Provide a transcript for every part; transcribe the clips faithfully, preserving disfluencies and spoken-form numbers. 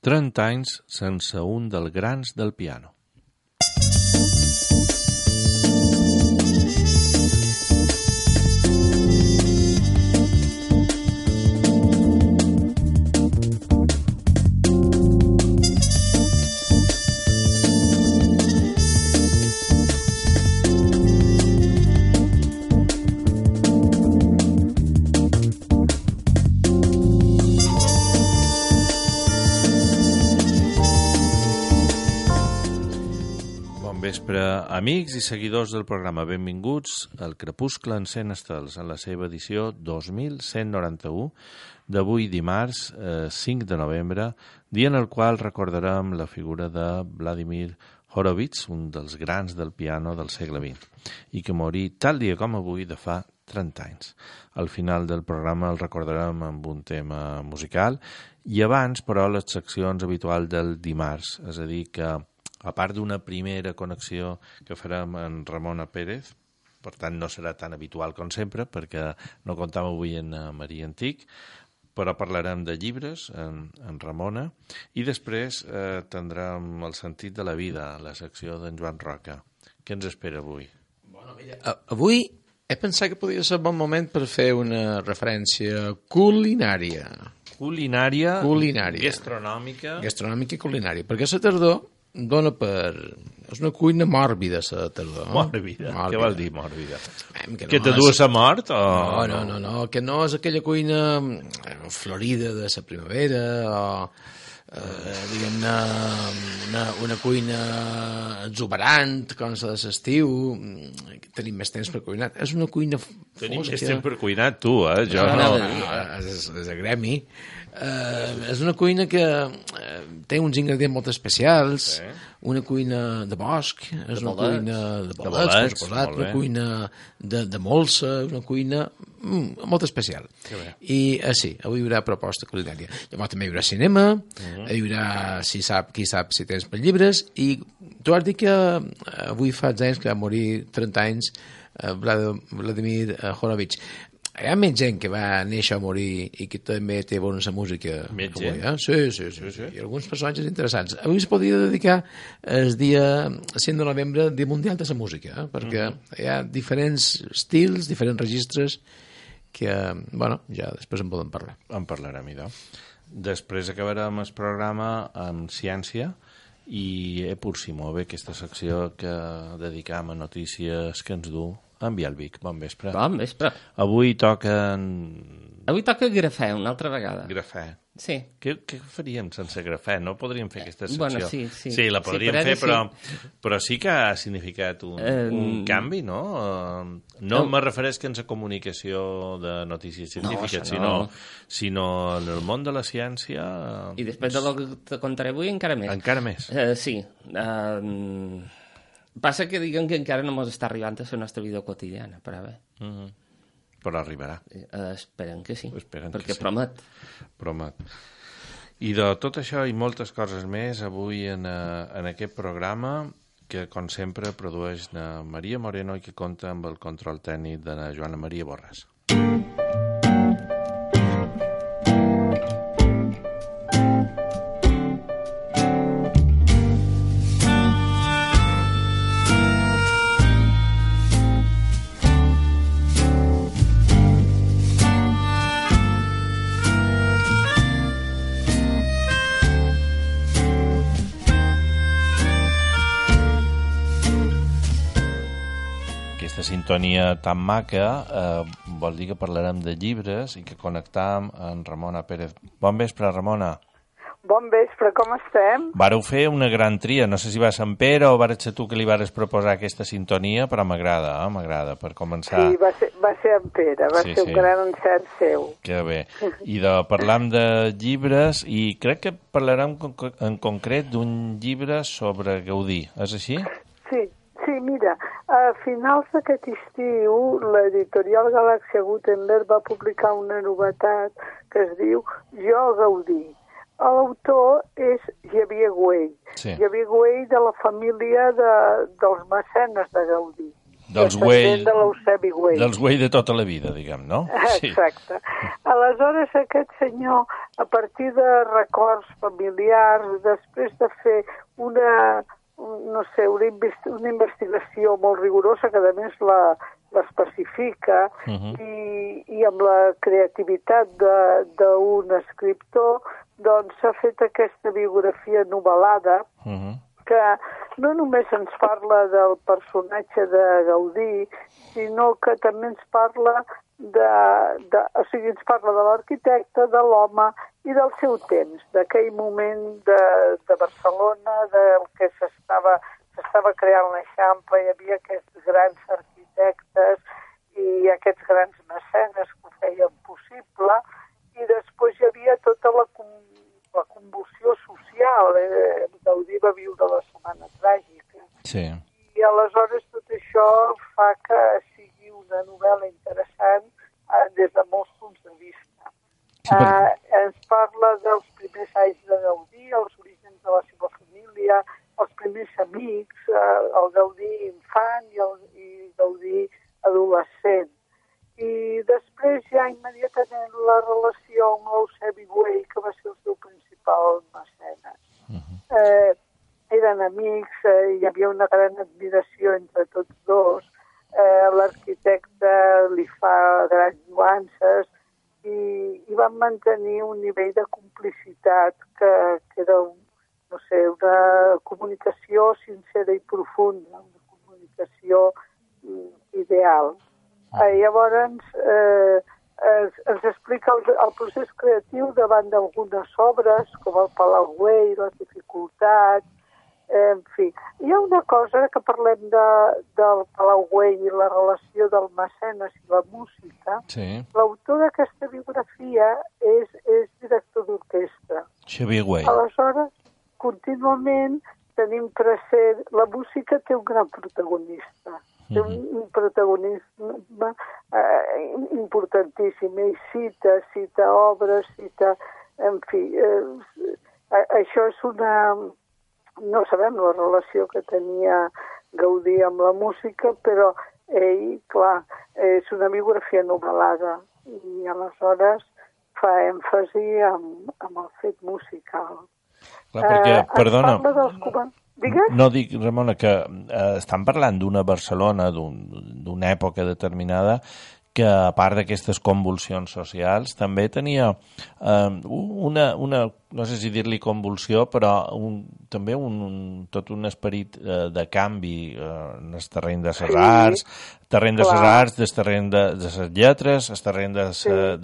trenta anys sense un dels grans del piano. Amics i seguidors del programa, benvinguts al Crepuscle encén estels en la seva edició dos mil cent noranta-u d'avui dimarts eh, cinc de novembre, dia en el qual recordarem la figura de Vladimir Horowitz, un dels grans del piano del segle vint, i que morí tal dia com avui de fa trenta anys. Al final del programa el recordarem amb un tema musical i abans, però, les seccions habituals del dimarts, és a dir que a part d'una primera connexió que farem amb Ramona Pérez, per tant no serà tan habitual com sempre, perquè no comptam avui en Maria Antic, però parlarem de llibres en, en Ramona, i després eh, tindrem el sentit de la vida, la secció d'en Joan Roca. Què ens espera avui? Bueno, mira, avui he pensat que podria ser un bon moment per fer una referència culinària. Culinària, culinària. Gastronòmica. Gastronòmica i culinària, perquè la tardor dona per... És una cuina mòrbida, la tardor. Mòrbida? Què vol dir mòrbida? Eh, que, que no te dues a mort? O... No, no, no, no, que no és aquella cuina florida de la primavera o, eh, diguem-ne, una, una cuina exuberant, com la de l'estiu. Tenim més temps per cuinar. És una cuina fosca. Tenim més temps per cuinar, tu, eh? Jo no. no, no, no és, és a gremi. Uh, és una cuina que uh, té uns ingredients molt especials, sí. Una cuina de bosc, és de una bolets. Cuina de bolets, de bolets posat, una cuina de, de molsa, una cuina mm, molt especial. I uh, sí, avui hi haurà proposta culinària. Llavors també hi haurà cinema, uh-huh. Hi haurà, si sap, qui sap si tens per llibres, i tu has dit que uh, avui fa anys que va morir trenta anys uh, Vladimir uh, Horowitz. Hi ha més gent que va néixer a morir i que també té bona música. Més gent? Eh? Sí, sí, sí, sí. I alguns personatges interessants. Avui es podria dedicar el dia cinc de novembre, Dia Mundial de la Música, eh? Perquè uh-huh. Hi ha diferents estils, diferents registres que, bueno, ja després en podem parlar. En parlarem, idò. Després acabarem el programa amb ciència i eh, pur si move aquesta secció que dedicam a notícies que ens du en Bielvic. Bon vespre. Bon vespre. Avui toquen... Avui toca grafè, una altra vegada. Grafè. Sí. Què, què faríem sense grafè? No podríem fer aquesta secció? Bueno, sí, sí. Sí, la podríem sí, fer, però, sí. però sí que ha significat un, um, un canvi, no? No um, me refereix que en la comunicació de notícies científiques, no, sinó, no. sinó en el món de la ciència... I després de lo que te contaré avui, encara més. Encara més. Uh, sí. Uh, Passa que diguem que encara no ens està arribant a la nostra vida quotidiana, però bé. Uh-huh. Però arribarà. Uh, esperem que sí, esperem perquè que sí. promet. Promet. I de tot això i moltes coses més avui en, en aquest programa que, com sempre, produeix na Maria Moreno i que compta amb el control tècnic de la Joana Maria Borràs. Sintonia tan maca eh, vol dir que parlarem de llibres i que connectam amb Ramona Pérez. Bon vespre, Ramona. Bon vespre, com estem? Vareu fer una gran tria, no sé si va Sant Pere o vares ser tu que li vares proposar aquesta sintonia, però m'agrada, eh? M'agrada, per començar. Sí, va ser, va ser en Pere, va sí, ser sí. un gran encert seu. Que bé. I de, parlam de llibres i crec que parlarem en concret d'un llibre sobre Gaudí, és així? Sí. Sí, mira, a finals d'aquest estiu l'editorial Galàxia Gutenberg va publicar una novetat que es diu Jo Gaudí. L'autor és Xavier Güell. Sí. Xavier Güell de la família de, dels mecenes de Gaudí. dels Güell, de l'Eusebi Güell. Dels Güell de tota la vida, diguem, no? Exacte. Sí. Aleshores, aquest senyor, a partir de records familiars, després de fer una, no sé, una, investi una investigació molt rigorosa, que a més la l'especifica, uh -huh. i, i amb la creativitat d'un escriptor, doncs s'ha fet aquesta biografia novel·lada, uh -huh. que no només ens parla del personatge de Gaudí, sinó que també ens parla de, de, o sigui, ens parla de l'arquitecte, de l'home i del seu temps, d'aquell moment de, de Barcelona, del que s'estava s'estava creant l'Eixample, hi havia aquests grans arquitectes i aquests grans mecenes que ho feien possible, i després hi havia tota la, la convulsió social. Eh? Gaudí va viure la Setmana Tràgica. Sí. I aleshores tot això fa que sigui una novel·la interessant eh, des de molts punts de vista. Sí, per... eh, ens parla dels primers anys de Gaudí, els orígens de la seva família, els primers amics, eh, el Gaudí infant i el i Gaudí adolescent. I després ja immediatament la relació amb l'Eusebi Güell, que va ser el seu principal mecenes. Uh -huh. eh, eren amics, eh, hi havia una gran admiració entre tots dos, eh, l'arquitecte li fa grans nuances i, i van mantenir un nivell de complicitat que, que era un no sé, una comunicació sincera i profunda, una comunicació ideal. Eh, llavors, eh, es, ens explica el, el procés creatiu davant d'algunes obres, com el Palau Güell, les dificultats, eh, en fi. Hi ha una cosa que parlem de, del Palau Güell i la relació del mecenes i la música. Sí. L'autor d'aquesta biografia és, és director d'orquestra. Xavier Güell. Aleshores, contínuament tenim present... La música té un gran protagonista. Té un, un protagonisme eh, importantíssim. Ell cita, cita obres, cita... En fi, eh, això és una... No sabem la relació que tenia Gaudí amb la música, però ell, clar, és una biografia novel·lada i aleshores fa èmfasi amb, amb el fet musical. Clar, perquè, eh, perdona, Digues? no dic, Ramona, que eh, estan parlant d'una Barcelona d'una un, època determinada que, a part d'aquestes convulsions socials, també tenia eh, una, una, no sé si dir-li convulsió, però un, també un, un, tot un esperit eh, de canvi eh, en el terreny de les arts, sí, terreny de les arts, del terreny de, de les lletres, el terreny de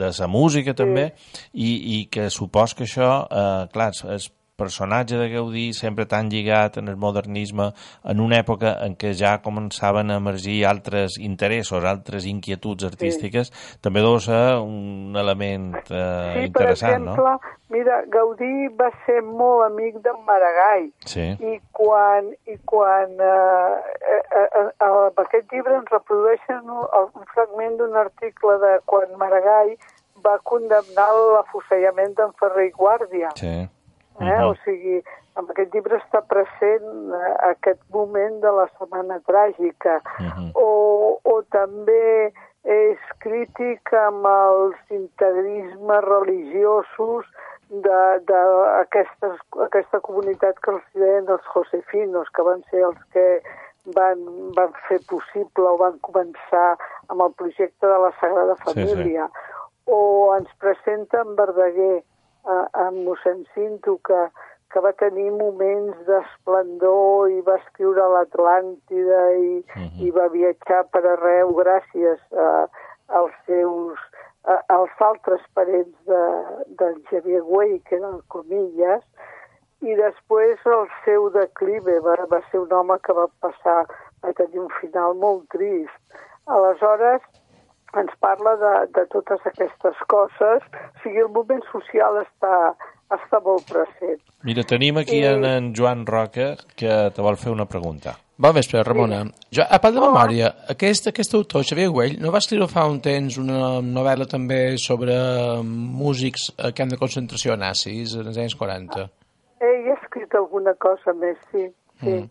la sí. música també, sí. i, i que supos que això, eh, clar, és personatge de Gaudí sempre tan lligat en el modernisme, en una època en què ja començaven a emergir altres interessos, altres inquietuds artístiques, sí. també deu ser un element eh, sí, interessant, no? Sí, per exemple, no? Mira, Gaudí va ser molt amic d'en Maragall, sí. i quan, i quan eh, eh, eh, en aquest llibre ens reprodueixen un, un fragment d'un article de quan Maragall va condemnar l'afusellament d'en Ferrer i Guàrdia. Sí. Eh? Uh-huh. O sigui, en aquest llibre està present eh, aquest moment de la Setmana Tràgica. Uh-huh. o, o també és crític amb els integrismes religiosos d'aquesta comunitat que els deien els josefinos, que van ser els que van, van fer possible o van començar amb el projecte de la Sagrada Família. Sí, sí. O ens presenta en Verdaguer, amb mossèn Cinto, que, que va tenir moments d'esplendor i va escriure l'Atlàntida i, uh-huh. i va viatjar per arreu gràcies a, als seus a, als altres parents de, del Xavier Güell, que eren Comillas, i després el seu declive va, va ser un home que va passar a tenir un final molt trist. Aleshores, ens parla de, de totes aquestes coses, o sigui, el moment social està, està molt present. Mira, tenim aquí I... en, en Joan Roca, que te vol fer una pregunta. Bon vespre, Ramona. Sí. Jo, a part de memòria, aquest, aquest autor, Xavier Güell, no va escriure fa un temps una novel·la també sobre músics a camp de concentració nazis, en els anys quaranta? Ell ha escrit alguna cosa més, sí. sí. Mm.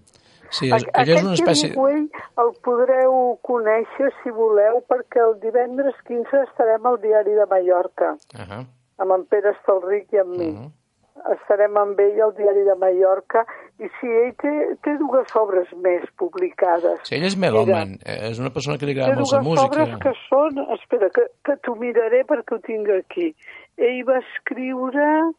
Sí, allò és una espècie... Aquest Xavier Güell el podreu conèixer, si voleu, perquè el divendres quinze estarem al Diari de Mallorca, uh -huh. amb en Pere Estalric i amb mi. Uh -huh. Estarem amb ell al Diari de Mallorca, i sí, ell té, té dues obres més publicades. Sí, ell és melòman, és una persona que li agrada molt la música. Té dues obres que són... Espera, que, que t'ho miraré perquè ho tinc aquí. Ell va escriure...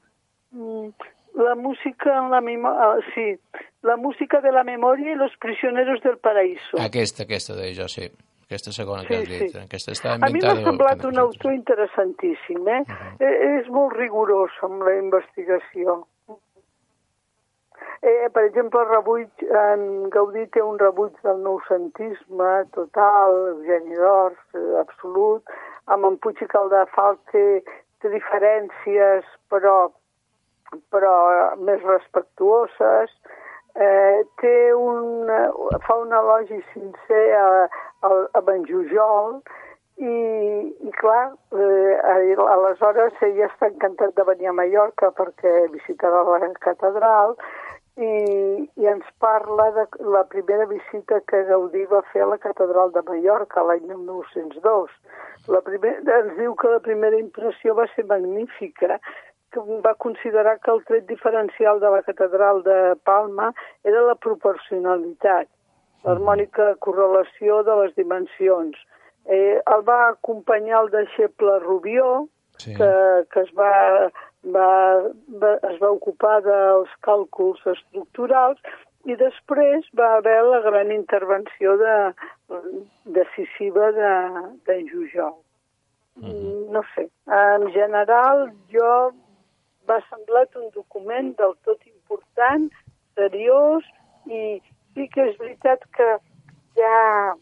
Mm, la música en la memòria... Sí, la música de la memòria i los prisioneros del paraíso. Aquesta, aquesta de jo, sí. Aquesta segona que sí, has dit. Sí. Aquesta està a mi m'ha semblat un autor interessantíssim, eh? Uh -huh. eh? És molt rigorós amb la investigació. Eh, per exemple, el rebuig, en Gaudí té un rebuig del noucentisme total, Eugeni d'Ors, eh, absolut, amb en Puig i Caldafalc té, té diferències, però però més respectuoses, eh, té un, fa un elogi sincer a, a, a en Jujol, i, i clar, eh, aleshores ell està encantat de venir a Mallorca perquè visitarà la catedral, i, i ens parla de la primera visita que Gaudí va fer a la catedral de Mallorca l'any mil nou-cents dos. La primer, ens diu que la primera impressió va ser magnífica, que va considerar que el tret diferencial de la catedral de Palma era la proporcionalitat, l'harmònica correlació de les dimensions. Eh, el va acompanyar el deixeble Rubió, sí. que, que es, va, va, va, es va ocupar dels càlculs estructurals, i després va haver la gran intervenció de, decisiva d'en de Jujol. Mm-hmm. No sé, en general jo m'ha semblat un document del tot important, seriós, i sí que és veritat que hi ha,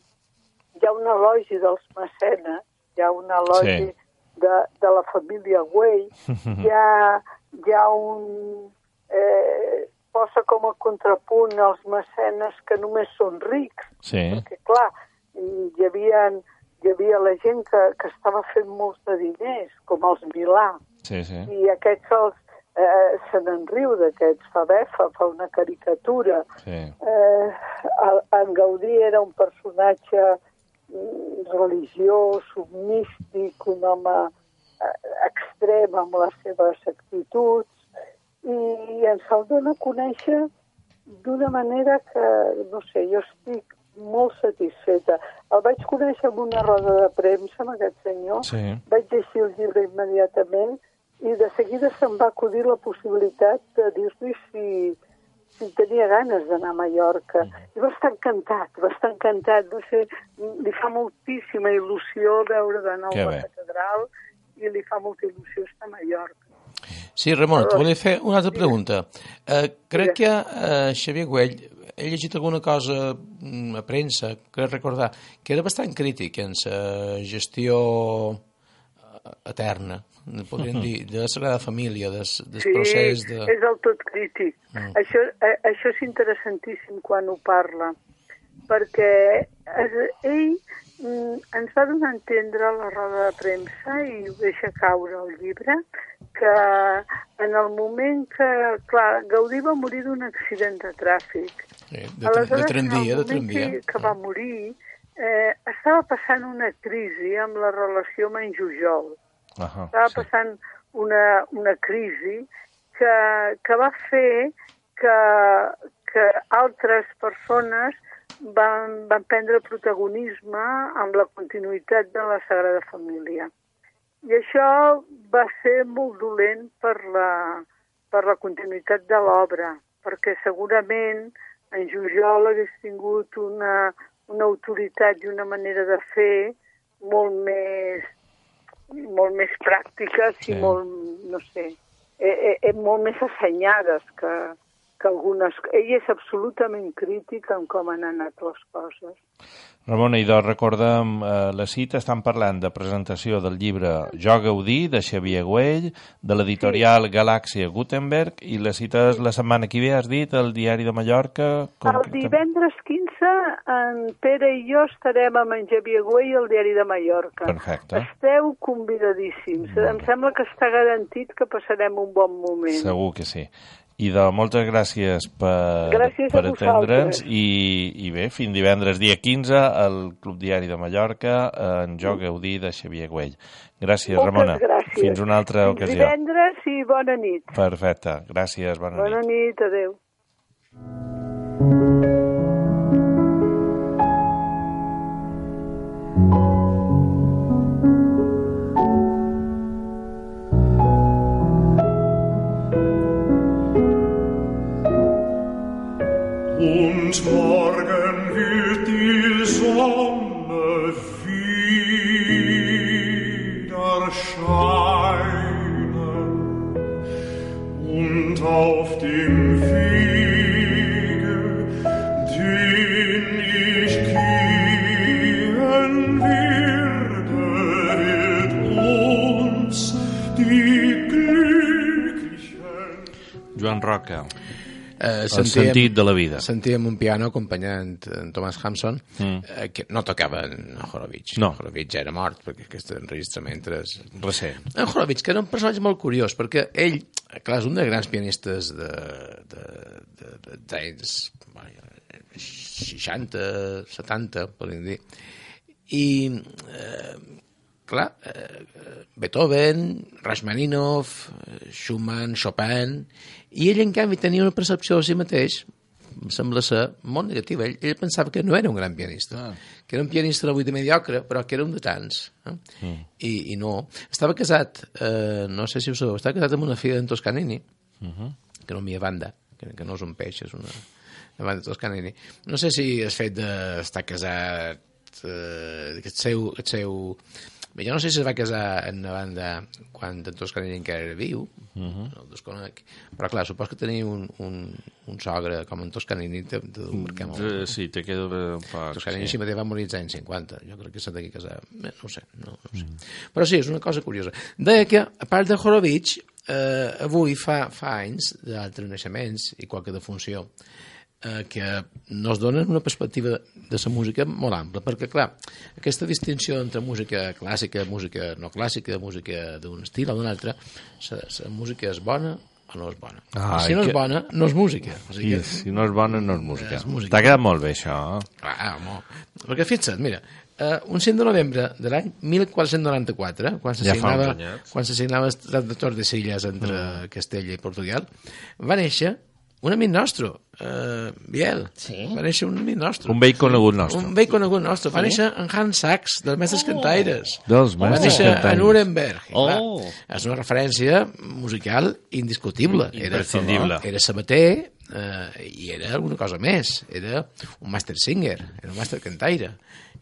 hi ha un elogi dels mecenes, hi ha un elogi sí. de, de la família Güell, hi ha, hi ha un... Eh, posa com a contrapunt els mecenes que només són rics, sí. perquè clar, hi havia, hi havia la gent que, que estava fent molts de diners, com els Milà, sí, sí. i aquests els, eh, se n'enriu d'aquests, fa befa, fa una caricatura. Sí. Eh, en Gaudí era un personatge religiós, místic, un home extrem amb les seves actituds, i ens el dona a conèixer d'una manera que, no sé, jo estic molt satisfeta. El vaig conèixer en una roda de premsa, amb aquest senyor, sí. vaig llegir el llibre immediatament, i de seguida se'm va acudir la possibilitat de dir-li si, si tenia ganes d'anar a Mallorca. Mm. I va estar encantat, va estar encantat. No sé, li fa moltíssima il·lusió veure de nou la catedral, i li fa molta il·lusió estar a Mallorca. Sí, Ramon, et volia fer una altra pregunta. Uh, crec que uh, Xavier Güell, he llegit alguna cosa a premsa, crec recordar, que era bastant crític en la gestió eterna, podríem dir, de la Sagrada Família, del, del sí, procés de... Sí, és del tot crític. Mm. Això, eh, això és interessantíssim quan ho parla, perquè ell mm, ens va donar a entendre a la roda de premsa, i ho deixa caure al llibre, que en el moment que, clar, Gaudí va morir d'un accident de tràfic. Sí, de, Aleshores, de tramvia, de tramvia. Que, que va morir, eh, estava passant una crisi amb la relació amb en Jujol. Uh -huh, estava sí. passant una, una crisi que, que va fer que, que altres persones van, van prendre protagonisme amb la continuïtat de la Sagrada Família. I això va ser molt dolent per la, per la continuïtat de l'obra, perquè segurament en Jujol hagués tingut una, una autoritat i una manera de fer molt més, molt més pràctiques sí. i molt, no sé, eh, eh, molt més assenyades que, que algunes... Ell és absolutament crític en com han anat les coses. Ramon Aidó, recordem eh, la cita, estan parlant de presentació del llibre Jo Gaudí, de Xavier Güell, de l'editorial sí. Galàxia Gutenberg, i la cita és la setmana que ve, has dit, al Diari de Mallorca... Com... El divendres quinze, en Pere i jo estarem amb en Xavier Güell al Diari de Mallorca. Perfecte. Esteu convidadíssims. Em sembla que està garantit que passarem un bon moment. Segur que sí. I de moltes gràcies per, gràcies per a atendre'ns i, i bé, fins divendres dia quinze al Club Diari de Mallorca en Jo Gaudí de Xavier Güell. Gràcies, Moltes Ramona. Gràcies. Fins una altra fins ocasió. Divendres i bona nit. Perfecte. Gràcies, bona, bona nit. Bona nit, adeu. Und morgen wird die Sonne wieder scheinen und auf dem Wege, den ich gehen werde, wird uns die Glücklichen... Joan Roca. Eh, el sentit de la vida. Sentíem un piano acompanyant en Thomas Hampson, mm. eh, que no tocava en Horowitz. No. Horowitz ja era mort, perquè aquest enregistrament és... Recent. En Horowitz, que era un personatge molt curiós, perquè ell, clar, és un dels grans pianistes de, de, de, de, d'anys seixanta, setanta, podríem dir. I, eh, clar, eh, Beethoven, Rachmaninoff, Schumann, Chopin... I ell, en canvi, tenia una percepció de si mateix, em sembla ser, molt negativa. Ell, ell pensava que no era un gran pianista, ah. que era un pianista de vuit de mediocre, però que era un de tants. Eh? Mm. I, I no. Estava casat, eh, no sé si ho sabeu, estava casat amb una filla d'en Toscanini, uh -huh. que no m'hi banda, que, que no és un peix, és una, una banda de Toscanini. No sé si el fet d'estar casat, eh, aquest seu... Aquest seu jo no sé si es va casar en una banda quan en Toscanini encara era viu, uh -huh. no el desconec, però clar, supos que tenia un, un, un sogre com en Toscanini te, te marcar molt. Uh, sí, te queda un poc. Toscanini sí. mateix va morir als anys cinquanta, jo crec que s'ha d'aquí casar, no ho sé, no, no ho sé. Mm. Però sí, és una cosa curiosa. Deia que, a part de Horowitz, eh, avui fa, fa anys d'altres naixements i qualque defunció, eh, que nos donen una perspectiva de, de la música molt ampla, perquè, clar, aquesta distinció entre música clàssica, música no clàssica, música d'un estil o d'un altre, la música és bona o no és bona. Ah, si no és que... bona, no és música. O sigui que... Si no és bona, no és música. música. T'ha quedat molt bé, això. Ah, home. Perquè fixa't, mira, Uh, un cinc de novembre de l'any mil quatre-cents noranta-quatre, quan s'assignava ja quan s'assignava el Tractat de Tordesillas entre mm. Castella i Portugal, va néixer un amic nostre, uh, Biel. Sí? Va néixer un amic nostre. Un vell conegut nostre. Un vell conegut nostre. Va sí? néixer en Hans Sachs, dels Mestres oh. Cantaires. Dels Va Mestres néixer Cantaires. a Nuremberg. Oh. Clar, és una referència musical indiscutible. Imprescindible. Era, era sabater uh, i era alguna cosa més. Era un master singer, era un master cantaire.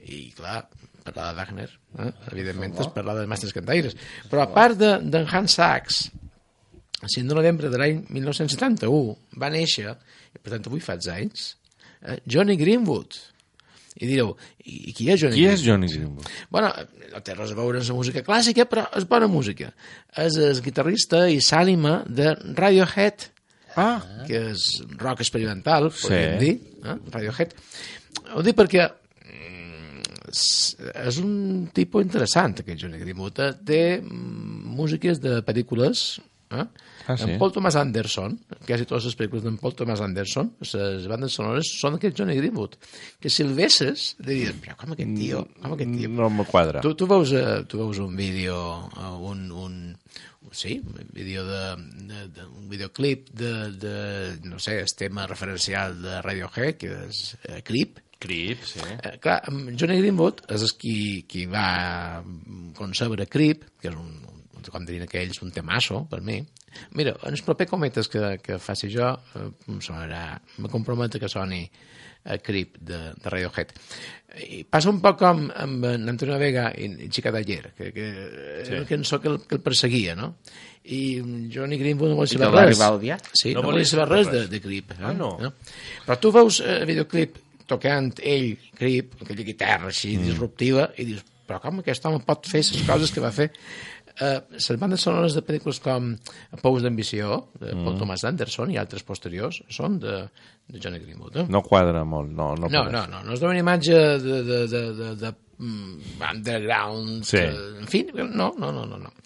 I, clar, parlar de Wagner, eh? evidentment és parlar de Mestres Cantaires. Però a part d'en de, Hans Sachs, el cinc de novembre de l'any mil nou-cents setanta-u va néixer, i per tant avui fa anys, eh, Johnny Greenwood. I direu, i qui és Johnny qui Greenwood? Qui és Johnny Greenwood? Bueno, no té res a veure amb la música clàssica, però és bona música. És el guitarrista i s'ànima de Radiohead, ah. que és rock experimental, podríem sí. dir, eh? Radiohead. Ho dic perquè és un tipus interessant, aquest Johnny Greenwood. Té músiques de pel·lícules, eh? ah, sí? en Paul Thomas Anderson, quasi totes les pel·lícules d'en Paul Thomas Anderson, les bandes sonores són d'aquest Johnny Greenwood, que si el vesses, diries, però com aquest tio, com aquest tio? No me quadra. Tu, tu, veus, tu veus un vídeo, un, un, sí, un vídeo de, de, de un videoclip de, de, no sé, el tema referencial de Radiohead, que és eh, Creep. Creep, sí. Eh, clar, Johnny Greenwood és qui, qui va concebre Creep, que és un, com dirien aquells, un temasso, per mi. Mira, en els propers cometes que, que faci jo, eh, sonarà, me comprometo que soni a Creep de, de Radiohead. I passa un poc com amb en Antonio Vega i, i Chica d'Ayer, que, que sí. era una cançó que el, que el perseguia, no? I Johnny Greenwood no vol saber res. Sí, no, no vol saber res de, de Creep. Eh? Ah, no. no. Però tu veus el videoclip tocant ell, Creep, aquella guitarra així mm. disruptiva, i dius, però com aquest home pot fer les coses que va fer? Uh, les bandes sonores de pel·lícules com Pous d'ambició, de mm. Paul Thomas Anderson i altres posteriors, són de, de Johnny Greenwood. Eh? No quadra molt, no. No, no, no, no, no és una imatge de, de, de, de, de um, underground, sí. que, en fi, no, no, no, no.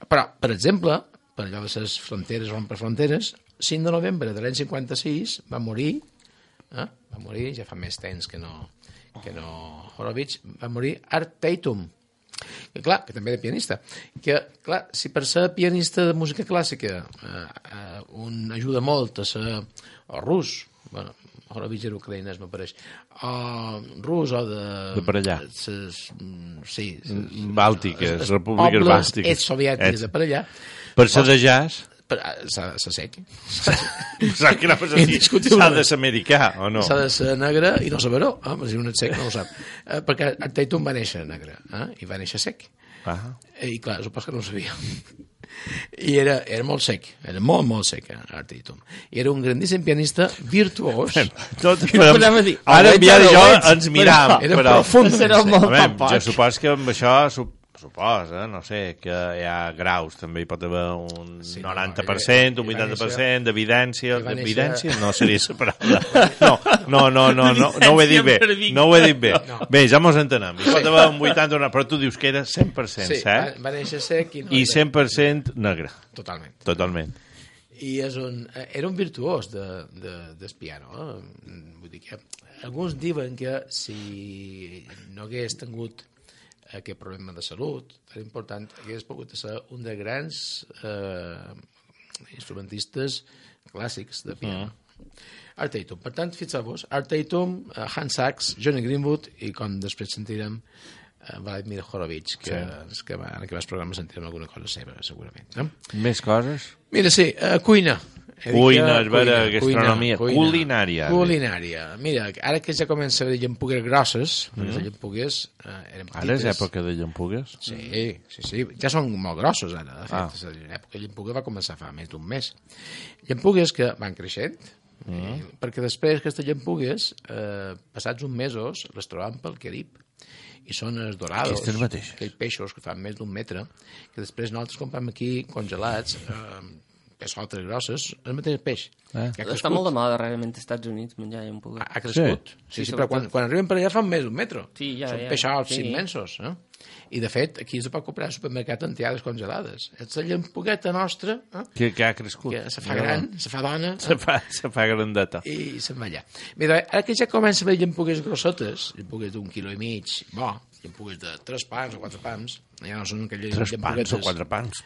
Però, per exemple, per allò de les fronteres, rompre fronteres, cinc de novembre de l'any cinquanta-sis va morir, eh? va morir, ja fa més temps que no, que no Horowitz, va morir Art Tatum, que clar, que també era pianista, que clar, si per ser pianista de música clàssica eh, eh, un ajuda molt a ser o rus, bueno, Horowitz era ucraïnès, m'apareix, o rus o de... De per allà. Ses, sí. Ses, Bàltiques, ses repúbliques pobles bàltiques. ex-soviètiques de per allà. Per ser de jazz... S'ha de ser sec. S'ha de ser americà, o no? S'ha de ser negre i no saber-ho. Ah, si un et sec no ho sap. Eh, perquè Art Tatum va néixer negre eh? I va néixer sec. Ah. I clar, supos que no ho sabia. I era, era molt sec, era molt, molt sec, eh, Art Tatum. I era un grandíssim pianista virtuós. Tot, però, ara ja jo ens miram. Era profund. Era molt poc. Jo supos que amb això... Suposa, no sé, que hi ha graus, també hi pot haver un sí, noranta per cent, no, un vuitanta per cent d'evidència, d'evidència, no seria la paraula. No, no, no, no, no, no ho he dit bé, no ho he dit bé. Bé, ja mos entenem, hi pot haver un vuitanta, però tu dius que era cent per cent, sí, cert? Va néixer sec i, no i cent per cent negre. Totalment. Totalment. I és un, era un virtuós de, de, del piano. Eh? Vull dir que alguns diuen que si no hagués tingut aquest problema de salut tan important, hagués pogut ser un de grans eh, instrumentistes clàssics de piano. Mm. Art Tatum. Per tant, fixeu-vos, Art Tatum, uh, Hans Sachs, Johnny Greenwood i, com després sentirem, uh, Vladimir Horowitz, que, sí. que va, en aquests programes sentirem alguna cosa seva, segurament. No? Més coses? Mira, sí, uh, cuina. Cuina, és vera, gastronomia, cuina, culinària. Culinària. Mira, ara que ja comença a haver llampugues grosses, mm. les llampugues eh, eren petites. Ara és època de llampugues? Sí, sí, sí. Ja són molt grossos, ara, de fet. Ah. L'època de llampugues va començar fa més d'un mes. Llampugues que van creixent, mm. eh, perquè després aquestes llampugues, eh, passats uns mesos, les trobam pel Carib. I són els dorados, aquells peixos que fan més d'un metre, que després nosaltres comprem aquí congelats, eh, pessotes grosses, el mateix peix. Eh? Està molt de moda, realment, als Estats Units, menjar i un poc. Ha, ha crescut. Sí, sí, sí, però quan, quan arriben per allà fan més d'un metro. Sí, ja, Són ja. peixots sí. immensos. Eh? I, de fet, aquí se pot comprar al supermercat entiades congelades. És la llampugueta nostra... Eh? Que, que ha crescut. Que se fa gran, se fa dona... Se fa, se fa grandeta. I se'n va allà. Mira, ara que ja comença a haver llampugues grossotes, llampugues d'un quilo i mig, bo, llampugues de tres pans o quatre pans, ja no són aquelles tres llampuguetes... Tres pans o quatre pans...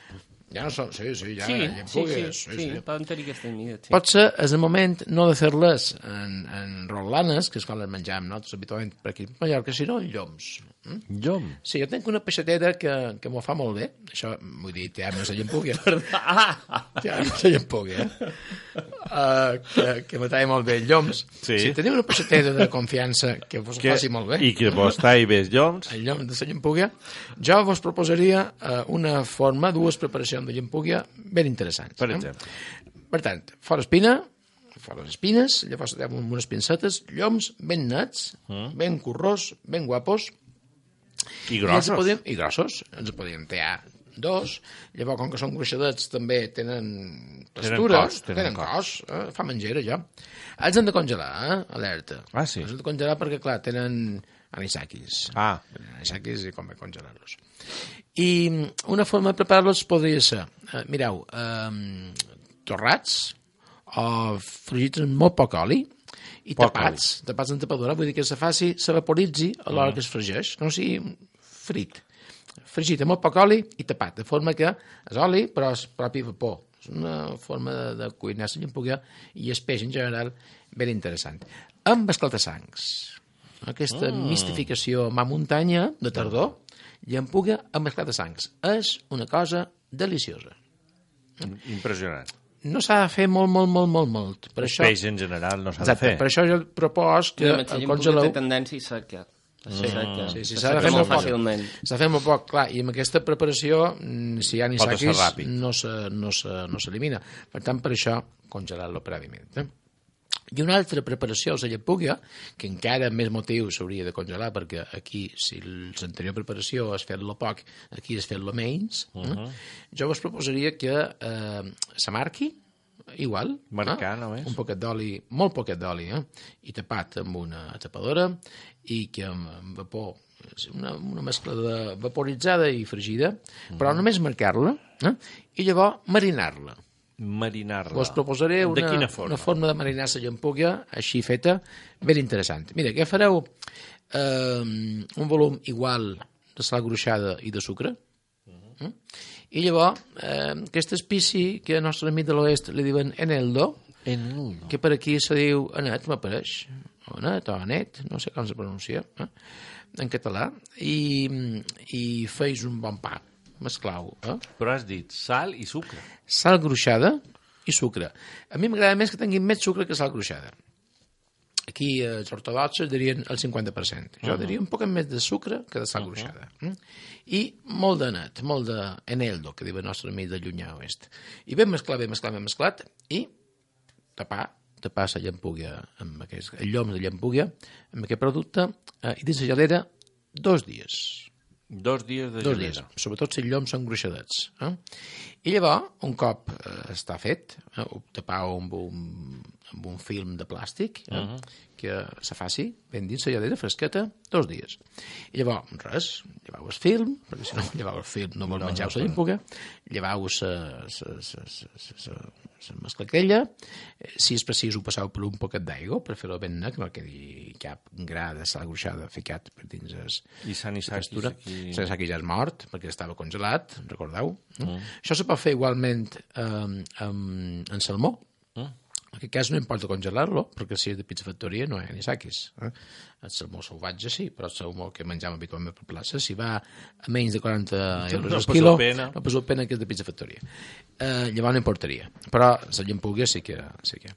Ja no són, sí, sí, ja sí, llampugues. Sí, sí, sí, sí. Poden tenir aquesta mida. Sí. Potser és el moment no de fer-les en, en rotlanes, que és quan les menjam nosaltres habitualment per aquí a Mallorca, sinó en lloms. Mm? Llom? Sí, jo tenc una peixatera que, que m'ho fa molt bé. Això, vull dir, té no se llampuga. Ja no se llampuga, eh? Uh, que, que m'atrai molt bé lloms. Sí. Si teniu una peixatera de confiança que vos que, faci molt bé... I que vos talli bé lloms... El llom de la llampuga, jo vos proposaria uh, una forma, dues preparacions de llampuga ben interessants. Per exemple. Eh? Per tant, fora espina, fora les espines, llavors amb unes pincetes, lloms ben nets, mm. ben currós, ben guapos. I grossos. I, podíem, i grossos. Ens podíem tallar dos. Llavors, com que són gruixadets, també tenen textura. Tenen cos. Tenen, tenen cos. cos eh? Fa menjera, ja. Els hem de congelar, eh? Alerta. Ah, sí? Els hem de congelar perquè, clar, tenen anisakis. Ah. Anisakis i convé congelar-los. I una forma de preparar-los podria ser, eh, mireu, eh, torrats o fregits amb molt poc oli i poc tapats, oli. tapats en tapadora, vull dir que se faci, s'evaporitzi a l'hora mm. que es fregeix, que no sigui frit. Fregit amb molt poc oli i tapat, de forma que és oli però és propi vapor. És una forma de, de cuinar la llampuga i el peix en general ben interessant. Amb esclata-sangs. Aquesta mm. mistificació mà muntanya de tardor, llampuga amb esclata-sangs. És una cosa deliciosa. Impressionant. No s'ha de fer molt, molt, molt, molt, molt. Per el això... peix en general no s'ha Exacte, de fer. Per això jo propos que no, el congeleu... té tendència a secar. Sí, mm. sí, sí, s'ha de fer molt fàcilment. S'ha de fer molt poc, clar, i amb aquesta preparació, si hi ha anisakis, no s'elimina. No, no per tant, per això, congelar-lo prèviament. Eh? I una altra preparació és la llampuga, que encara més motiu s'hauria de congelar, perquè aquí, si l'anterior preparació és fer-lo poc, aquí és fer-lo menys. Uh -huh. eh? Jo vos proposaria que eh, s'amarqui, igual, marcar, eh? només. Un poquet d'oli, molt poquet d'oli, eh? I tapat amb una tapadora, i que amb, amb vapor una, una mescla de vaporitzada i fregida, però només marcar-la eh? I llavors marinar-la. Marinar-la. Us proposaré una, de quina forma? una forma de marinar la llampuga així feta, ben interessant. Mira, que fareu eh, un volum igual de sal gruixada i de sucre, uh-huh. eh? I llavors eh, aquest espici que al nostre amic de l'oest li diuen eneldo, eneldo, que per aquí se diu anet, m'apareix, o anet o anet, no sé com se pronuncia, eh? En català, i, i feis un bon pa, mesclau. Eh? Però has dit sal i sucre. Sal gruixada i sucre. A mi m'agrada més que tinguin més sucre que sal gruixada. Aquí els ortodoxos dirien el cinquanta per cent. Jo uh -huh. diria un poc més de sucre que de sal uh -huh. gruixada. Mm? I molt de net, molt d'eneldo, que diu el nostre amic de llunyà oest. I ben mesclat, ben mesclat, ben mesclat, i tapar, tapar la llampuga, amb aquest, el llom de llampuga, amb aquest producte, eh, i dins la gelera dos dies. Dos dies de Dos gelera. dies, sobretot si els lloms són gruixadets. Eh? I llavors, un cop eh, està fet, eh, ho tapau amb un, amb un film de plàstic, eh, uh -huh. que se faci ben dins la gelera fresqueta, dos dies. I llavors, res, llevau el film, perquè si no llevau el film no vos no, menjau no, la llampuga, llevau la mescla aquella, si és precís ho passau per un poquet d'aigua per fer-ho ben net, que no quedi cap gra de sal gruixada ficat per dins es, I Sanisaki aquí... Sanisaki ja és mort perquè estava congelat, recordeu? Mm. Això se pot fer igualment eh, amb, amb salmó. Mm. En aquest cas no importa congelar-lo, perquè si és de pizza factoria no hi ha anisakis. Eh? El salmó salvatge sí, però el salmó que menjam habitualment per plaça, si va a menys de quaranta euros no al quilo, pena. no posa pena que és de pizza factoria. Eh, llavors no importaria. Però la llampuga sí que... Sí que.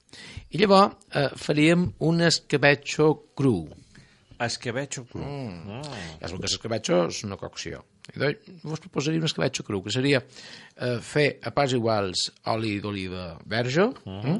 I llavors eh, faríem un escabetxo cru. Escabetxo cru. Mm. Oh. Ja sabeu que l'escabetxo és una cocció. I doncs vos proposaria un escabetxo cru, que seria eh, fer a parts iguals oli d'oliva verge, uh -huh.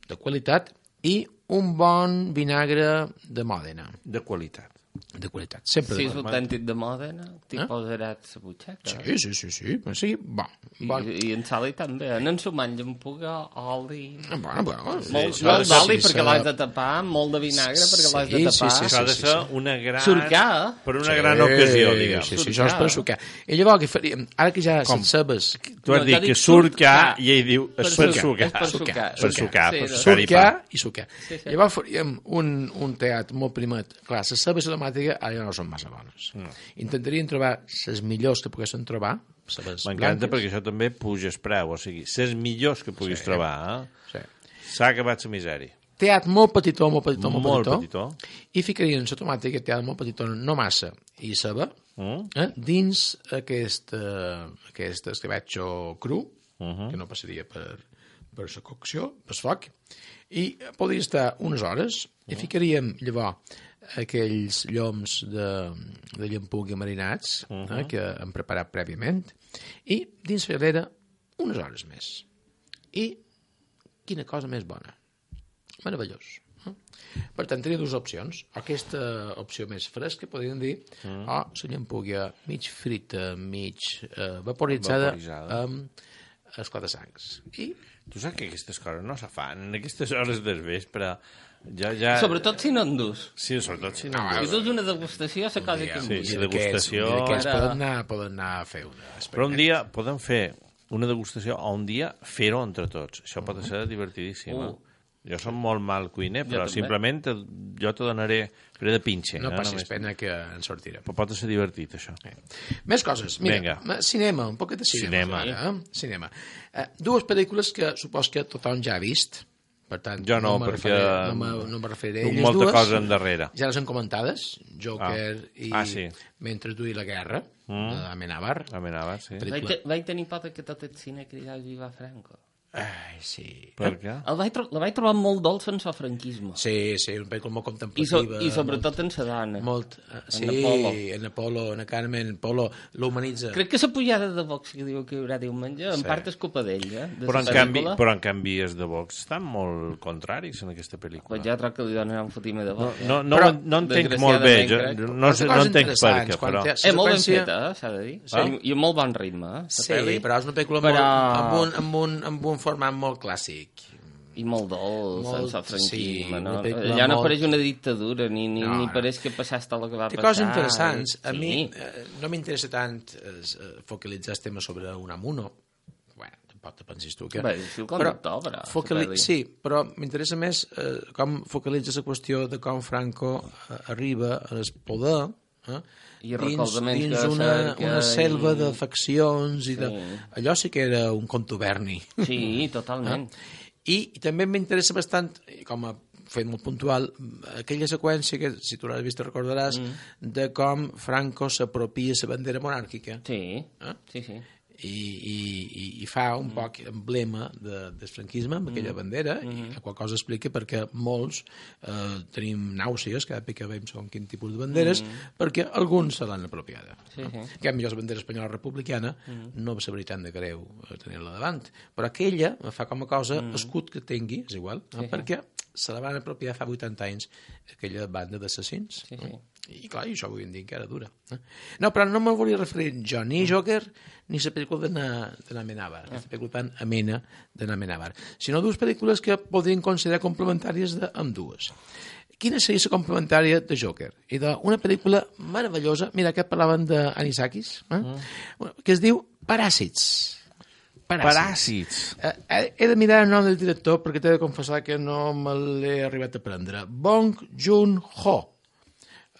de qualitat, i un bon vinagre de Mòdena. De qualitat. De qualitat, sempre si de és qualitat. autèntic de Mòdena, t'hi Eh? posaràs la butxaca. Sí, sí, sí, sí, però sí, bon. bon. I, I en Sali també. No en sumant llampuga, oli... Bueno, bueno, Molt, sí, molt sí, d'oli sí, perquè sí, l'has de tapar, molt de vinagre perquè l'has de Sí, tapar. sí, sí, Això ha de sí, ser sí. una gran... Surcar. Per una Sí, gran ocasió, diguem. Sí, sí, això és per sucar. I llavors què faríem? Ara que ja Com? les cebes... Tu has No, dit jo que dic surcar surcar. i ell diu Per per sucar. sucar. És per sucar. Per sucar, Sí, per no. sucar i pa. Surcar i sucar. Sí, sí. Llavors faríem un, un teat molt primet. Clar, les cebes aromàtiques ara ja no són massa bones. No. Intentaríem trobar les millors que poguessin trobar. M'encanta perquè això també puja el preu, o sigui, les millors que puguis Sí. trobar, eh? Sí. S'ha acabat la misèria. Teat molt petitó, molt petitó, molt, Molt petitó. petitó. I ficarien la tomàtica, teat molt petitó, no massa, i ceba, Mm? eh, dins aquest, eh, aquest escabetxo cru, Uh -huh. que no passaria per, per la cocció, per el foc, i podria estar unes hores, i ficaríem llavors aquells lloms de, de llampuga marinats, uh -huh. eh, que hem preparat prèviament, i dins la gelera unes hores més. I quina cosa més bona. Meravellós. Eh? Per tant, tenia dues opcions. Aquesta opció més fresca, podríem dir, mm. o la llampuga mig frita, mig eh, vaporitzada, Vaporitzada. amb esclata-sangs. I Tu saps que aquestes coses no se fan en aquestes hores del vespre. Ja, ja... Sobretot si no en dus. Sí, sobretot si no. No, Si dus una degustació, la cosa que Sí, em sí, vull. degustació. Aquests Ara- poden anar, poden anar a fer una Però un dia podem fer una degustació o un dia fer-ho entre tots. Això pot ser divertidíssim. Uh. Uh. Jo som molt mal cuiner, però també. simplement te, jo te donaré faré de pinche. No eh? passis Només- pena que en sortirem. Però pot ser divertit, això. Més coses. Mira, Vinga. ma- cinema, un poquet de cinema. Cinema. Ara, eh? Cinema. Eh, dues pel·lícules que supos que tothom ja ha vist. Per tant, Jo no, me perquè referiré- no, me, no me referiré a duc elles molta dues. cosa endarrere. Ja les han comentades. Joker Ah. i Ah, sí. Mentre duia la guerra, mm. d'Amenábar. Amenava, sí. Pel- Vaig, te, vaig tenir por que tot el cine cridava Viva Franco. Ai, sí. Per què? El vaig tro la vaig trobar molt dolça en el franquisme. Sí, sí, un pel·lícula molt I, so, contemplativa. I sobretot en la dona. Molt, molt, uh, sí, En Apolo. en Apolo, en Carmen, Polo, l'humanitza. Crec que la pujada de Vox que diu que hi haurà diumenge, en Sí. part és culpa d'ell, eh? De Però la en, canvi, pel·lícula. però en canvi els de Vox estan molt contraris en aquesta pel·lícula. Pues ja troc que li donen un fotimer de No, Vox. no, no, Però, no entenc molt bé, jo, desgraciadament, jo crec. no, sé, no entenc per Interessants, què, quan però... té- És molt ben seqüència- feta, eh, s'ha de dir. Ah? I, I amb molt bon ritme, eh? la Sí, pel·li. però és una pel·lícula Però- molt, amb, un, amb, un, amb un format molt clàssic. I molt dolç, molt, sense franquisme, sí, no? molt... Ja no pareix una dictadura, ni, ni, no, ni no. pareix que passés tot el que va Té passar. coses interessants. A sí. mi eh, no m'interessa tant eh, focalitzar el tema sobre Unamuno. Bueno, tampoc te pensis tu que... Bé, és el conductor, però... Focali... Sí, però m'interessa més eh, com focalitza la qüestió de com Franco eh, arriba al poder eh, I dins, dins una, una selva i... de faccions i sí. de... Allò sí que era un contuberni. Sí, totalment. Eh? I, I també m'interessa bastant, com a fet molt puntual, aquella seqüència que, si tu l'has vist, recordaràs, mm. de com Franco s'apropia la bandera monàrquica. Sí, eh? sí, sí. I, i, i fa un mm. poc emblema de, del franquisme amb aquella mm. bandera mm. i qual cosa explica perquè molts eh, tenim nàusees cada vegada que veiem segons quin tipus de banderes mm. perquè alguns se l'han apropiada. Sí, no? Sí. Que a millor la bandera espanyola republicana mm. no va saber tant de greu tenir-la davant, però aquella fa com a cosa mm. escut que tingui, és igual, sí, no? Perquè se la van apropiar fa vuitanta anys aquella banda d'assassins. Sí, sí. No? I clar, això avui en dia encara dura. Eh? No, però no me'n volia referir jo ni a Joker ni a la pel·lícula de Amenábar, la pel·lícula tan amena de Amenábar, sinó dues pel·lícules que podrien considerar complementàries d'ambdues. Quina seria la complementària de Joker? I d'una pel·lícula meravellosa, mira, que parlaven d'Anisakis, eh? mm. que es diu Paràsits. Paràsits. Eh, he de mirar el nom del director perquè t'he de confessar que no me l'he arribat a prendre. Bong Joon-ho,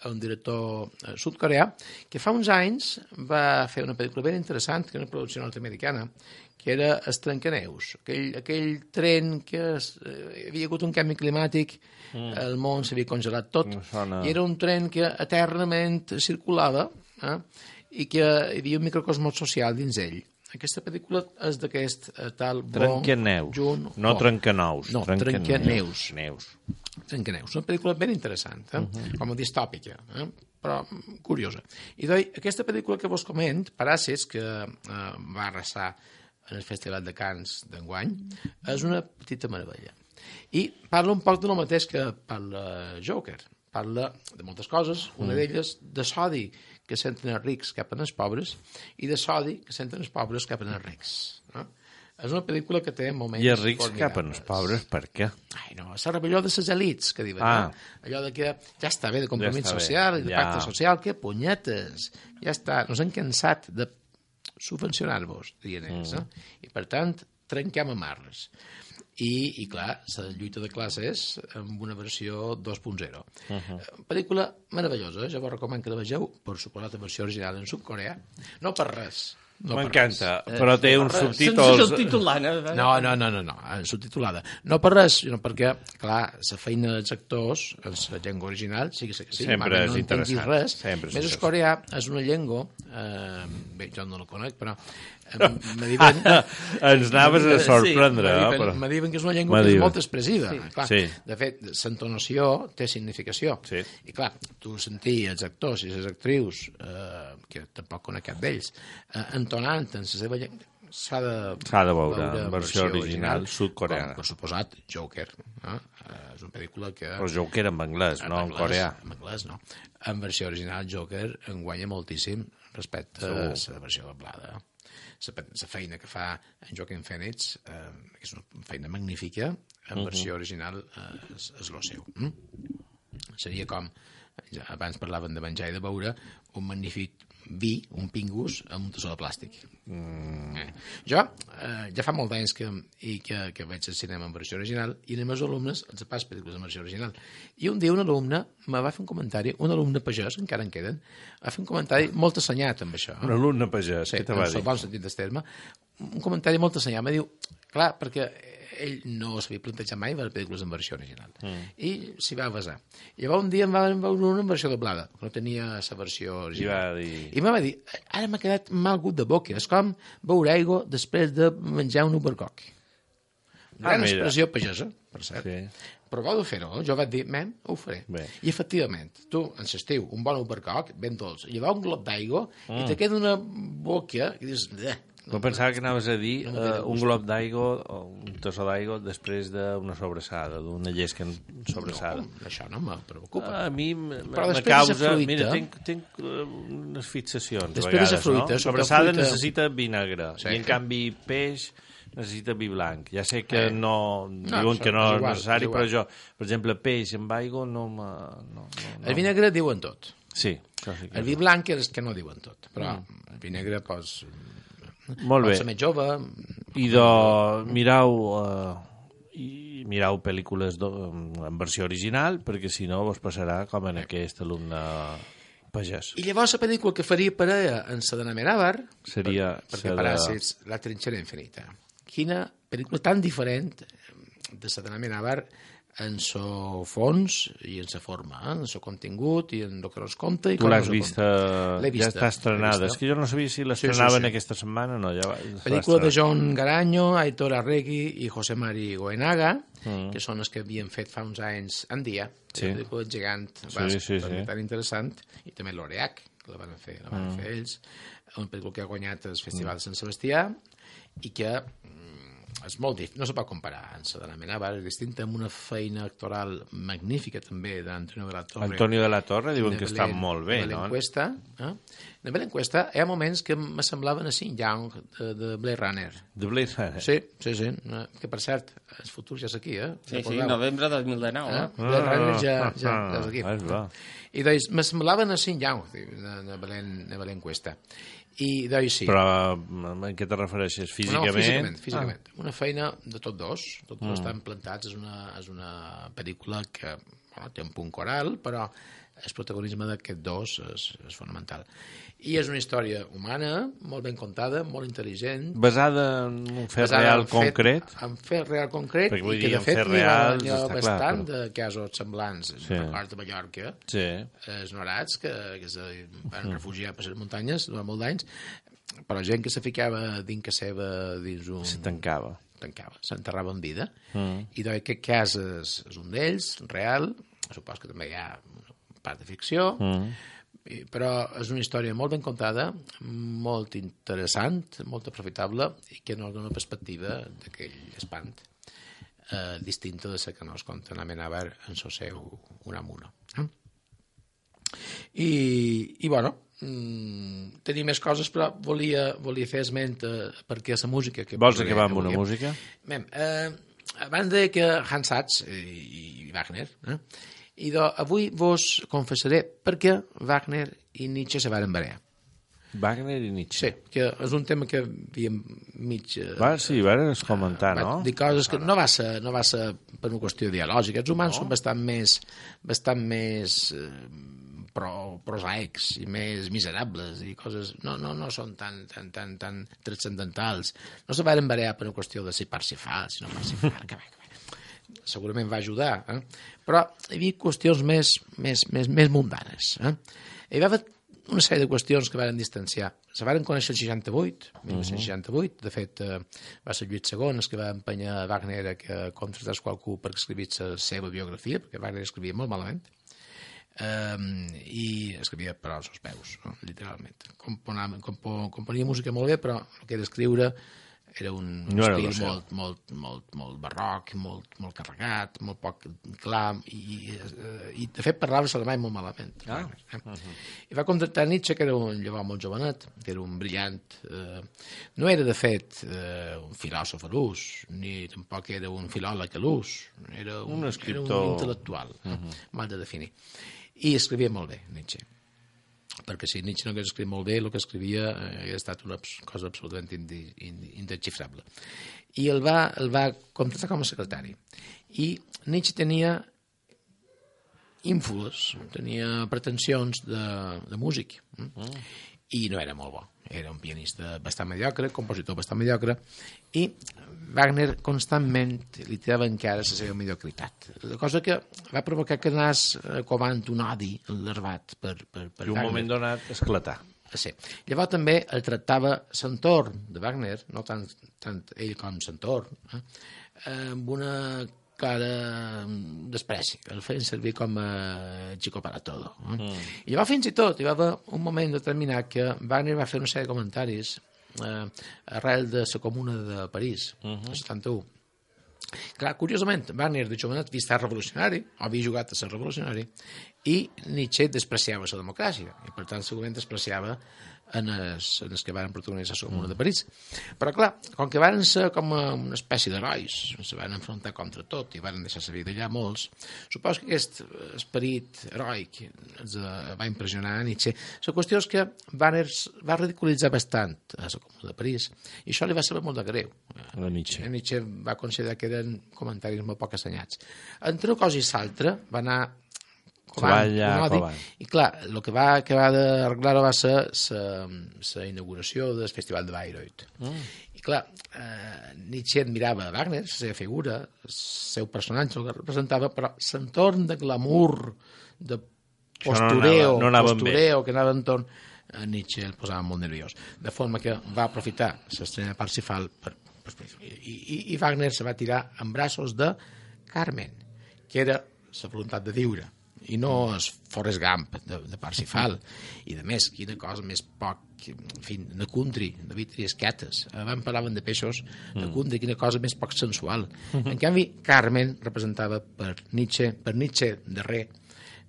un director sud-coreà, que fa uns anys va fer una pel·lícula ben interessant, que era una producció nord-americana, que era Els Trencaneus, aquell, aquell tren que es, eh, hi havia hagut un canvi climàtic, mm. el món s'havia congelat tot, sona... i era un tren que eternament circulava eh, i que hi havia un microcosmos social dins ell. Aquesta pel·lícula és d'aquest uh, tal Trencaneus, Jun no Trencanous. No, Trencaneus. Neus. Trencaneus. Una pel·lícula ben interessant, eh? uh -huh. com a distòpica, eh? però curiosa. I doncs, aquesta pel·lícula que vos coment, Paràsits, que eh, va arrasar en el Festival de Cannes d'enguany, és una petita meravella. I parla un poc de lo mateix que parla Joker. Parla de moltes coses, una mm. d'elles de sodi que senten els rics cap als pobres i de sodi que senten els pobres cap als rics. No? És una pel·lícula que té moments... I els rics cap als pobres, per què? Ai, no, és la rebel·lió de les elits, que diuen. Ah. No? Allò de que ja està bé de compromís ja social i de ja. pacte social, que punyetes, ja està, nos hem cansat de subvencionar-vos, diuen ells, mm. no? I per tant, trenquem amarres. I, i clar, la lluita de classes amb una versió dos punt zero. Uh -huh. Pel·lícula meravellosa, jo vos recomano que la vegeu, per suposat la versió original en sud-coreà, no per res. No M'encanta, però té no uns subtítols... Sense subtitulada. No, no, no, no, no, subtitulada. No per res, sinó perquè, clar, la feina dels actors, en la llengua original, sí que sí, sí sempre és no interessant. Res. Sempre és més interessant. el coreà és una llengua, eh, bé, jo no la conec, però eh, me diuen... Ens anaves a sorprendre, sí, eh, me, però... me diuen que és una llengua que és molt expressiva. Sí. Clar, sí. De fet, l'entonació té significació. Sí. I clar, tu sentir els actors i les actrius, eh, que tampoc conec cap d'ells, eh, entonant en la seva llengua, s'ha de, s'ha de veure, veure en versió original, original sud-coreana. Per suposat, Joker. Eh? És una pel·lícula que... Però Joker en anglès, en no anglès, en coreà. En anglès, no. En versió original, Joker en guanya moltíssim respecte a la versió doblada. La feina que fa en Joaquin Phoenix, eh, és una feina magnífica, en versió original eh, és, és lo seu. Mm? Seria com, ja abans parlaven de menjar i de beure, un magnífic vi, un pingus, amb un tassó de plàstic. Mm. Eh. Jo, eh, ja fa molt d'anys que, i que, que veig el cinema en versió original i als meus alumnes els pas pel·lícules en versió original. I un dia un alumne me va fer un comentari, un alumne pagès, encara en queden, va fer un comentari molt assenyat amb això. Un alumne pagès, sí, què te va dir? Sí, en el bon sentit del terme. Un comentari molt assenyat. Me diu, clar, perquè ell no s'havia plantejat mai veure pel·lícules en versió original. Mm. I s'hi va basar. I llavors un dia em va veure una en versió doblada, no tenia la versió original. I, dir... I em va dir, ara m'ha quedat mal gust de boca, és com veure aigua després de menjar un ubercoc. Una gran ah, expressió pagesa, per cert. Sí. Proveu de fer-ho, jo vaig dir, mem, ho faré. Bé. I efectivament, tu, en l'estiu, un bon ubercoc, ben dolç, i va un glop d'aigua mm. i te queda una boca i dius, eh, no pensava que anaves a dir no uh, un glob d'aigua o un tassó d'aigua després d'una sobrassada, d'una llesca sobrassada. No, això no me preocupa. Uh, a mi me causa... Fruita, mira, tinc, tinc unes fixacions a vegades, fruita, no? Sobrassada fruita... necessita vinagre, sí. I en canvi peix necessita vi blanc. Ja sé que Eh. no, No, diuen que no és és igual, necessari, és igual. però jo, per exemple, peix amb aigua no me... No, no, no. El vi negre diuen tot. Sí, això sí que El vi blanc és que no diuen tot, però el vi negre pues, Molt pot bé. ser més jove. I de... mirau... Uh, i mirau pel·lícules do, en versió original, perquè si no vos passarà com en aquest alumne pagès. I llavors la pel·lícula que faria parella en Sadana Amenábar Seria... per, perquè de... paràsits, La trinxera infinita. Quina pel·lícula tan diferent de Sadana Amenábar en so fons i en sa forma, eh? En so contingut i en el que nos compta. I Tu com l'has nos ho vista, compta. L'he ja vista, està estrenada. l'he vista. És que jo no sabia si Sí, l'estrenaven sí, sí. aquesta setmana, no. Ja va, Pel·lícula de John Garanyo, Aitor Arregui i José Mari Goenaga, Mm. que són els que havien fet fa uns anys en dia. Sí. La pel·lícula gegant, Sí, basc, sí, sí. tan interessant, i també l'Oreac, que la van fer, la van Mm. fer ells, una pel·lícula que ha guanyat el Festival de Sant Sebastià i que mm, és molt difícil, no se pot comparar amb Sadana Amenábar, és distinta, amb una feina actoral magnífica també d'Antonio de la Torre. Antonio de la Torre diuen de que està Belén- molt bé, de no? Belén-Cuesta, eh? De Belén-Cuesta hi ha moments que m'assemblaven a Sin Young de, de Blade Runner. De Blade Runner. Sí, sí, sí. eh, Que, per cert, el futur ja és aquí, eh? Sí, sí, Recordeu? novembre de dos mil dinou. Eh? Eh? Blade Runner ja, ja, ja Ah, és aquí. ah, és clar. I doncs m'assemblaven a Sin Young de, de, Belén, de Belén-Cuesta. I doncs sí. Però en què te refereixes? Físicament? No, físicament, físicament. Ah. Una feina de tots dos, tots dos mm. estan plantats, és una, és una pel·lícula que bueno, té un punt coral, però el protagonisme d'aquests dos és, és fonamental. I és una història humana, molt ben contada, molt intel·ligent. Basada en un fet basada real en concret? Fet, en fet real concret, Perquè vull i que dir, de en fet fets n'hi ha, reals n'hi ha està clar, bastant però- de casos semblants. Sí. Sí. Per part de Mallorca, Sí. els norats que, que se van refugiar per les muntanyes durant molt d'anys, però gent que se ficava dins que seva dins un... Se tancava. tancava, s'enterrava en vida. Mm. I doncs aquest cas és, és un d'ells, real, supos que també hi ha una part de ficció, Mm. i, però és una història molt ben contada, molt interessant, molt aprofitable, i que nos dona una perspectiva d'aquell espant eh, distinta de la que nos conta en Amenábar en el seu Unamuno. Eh? I, i bueno, mm, tenia més coses, però volia, volia fer esment eh, perquè la música... Que Vols posaré acabar amb avui, una música? Bé, eh, abans de que Hans Sachs i, i Wagner, eh, i do, avui vos confessaré per què Wagner i Nietzsche se varen barallar. Wagner i Nietzsche. Sí, que és un tema que havíem mig... Eh, Va, sí, vas comentar, vaig no? dir coses que no va ser, no va ser per una qüestió ideològica. Els humans no? són bastant més, bastant més eh, pro, prosaics i més miserables i coses... No, no, no són tan, tan, tan, tan transcendentals. No se varen barallar per una qüestió de si Parsifal, si no Parsifal, que bé, que bé. Segurament va ajudar, eh? Però hi havia qüestions més, més, més, més mundanes. Eh? Hi va haver una sèrie de qüestions que varen distanciar. Se varen conèixer el seixanta-vuit, dinou seixanta-vuit. De fet, eh, va ser Lluís segon el que va empenyar Wagner a que contractés qualcú per escrivir la seva biografia, perquè Wagner escrivia molt malament, um, i escrivia per als seus peus, no? Literalment. Componava, compo, componia música molt bé, però el que era escriure era un No era estil lo seu. molt, molt, molt, molt barroc, molt, molt carregat, molt poc clar, i, i de fet parlava alemany molt malament. Ah. Eh? Uh-huh. I va contractar Nietzsche, que era un llavors molt jovenet, que era un brillant... Eh, no era, de fet, eh, un filòsof a l'ús, ni tampoc era un filòleg a l'ús, era un, Un escriptor. era un intel·lectual, uh-huh. mal de definir. I escrivia molt bé, Nietzsche. Perquè si Nietzsche no hagués escrit molt bé, el que escrivia eh, hauria estat una cosa absolutament indi- indi- indesxifrable. I el va, el va contractar com a secretari. I Nietzsche tenia ínfules, tenia pretensions de, de músic. Mm. I no era molt bo. Era un pianista bastant mediocre, compositor bastant mediocre, i Wagner constantment li tirava encara la seva mediocritat. La cosa que va provocar que anés eh, covant un odi larvat per, per, per I un Wagner. moment donat esclatar. Sí. Llavors també el tractava l'entorn de Wagner, no tant, tant ell com l'entorn, eh, amb una clara despreci, el feien servir com a chico para todo. Eh? Mm. I llavors fins i tot hi va haver un moment determinat que Wagner va fer una sèrie de comentaris eh, arrel de la Comuna de París, mm-hmm. el setanta-u. Clar, curiosament, Wagner de jovenet havia estat revolucionari, havia jugat a ser revolucionari, i Nietzsche despreciava la democràcia, i per tant segurament despreciava en els, en els que van protagonitzar la Comuna de París. Però, clar, com que van ser com una espècie d'herois, se van enfrontar contra tot i van deixar la vida allà molts, suposo que aquest esperit heroic ens va impressionar a Nietzsche. La qüestió és que Wagner va ridiculitzar bastant a la Comuna de París i això li va saber molt de greu. A Nietzsche. Nietzsche va considerar que eren comentaris molt poc assenyats. Entre una cosa i l'altra va anar covant, un odi, i clar, el que va acabar d'arreglar-ho va ser la inauguració del Festival de Bayreuth. Mm. I clar, eh, Nietzsche admirava Wagner, la seva figura, el seu personatge, el que representava, però l'entorn de glamour, de postureo, no anava, no postureo que anava entorn, a Nietzsche el posava molt nerviós. De forma que va aprofitar l'estrena de Parsifal per, per, i, i, i Wagner se va tirar en braços de Carmen, que era la voluntat de viure, i no és Forrest Gump de, de Parsifal. I de més, quina cosa més poc, en fi, de country, de vitries quietes. Abans parlaven de peixos, de country, quina cosa més poc sensual. En canvi, Carmen representava per Nietzsche, per Nietzsche darrer,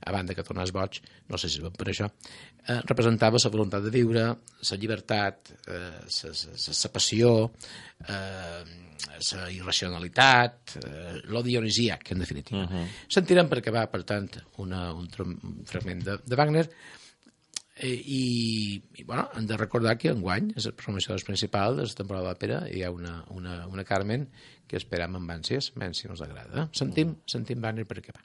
a banda que tornés boig, no sé si per això, eh, representava la voluntat de viure, la llibertat, la eh, passió, eh, la irracionalitat, eh, lo dionisiac, en definitiva. Uh -huh. Sentirem perquè va, per tant, una, un, un fragment de, de Wagner, eh, i, i bueno, hem de recordar que enguany és el promocionador principal de la temporada d'òpera, hi ha una, una, una Carmen que esperam amb ànsies, menys si no us agrada. Sentim, sentim Wagner perquè va.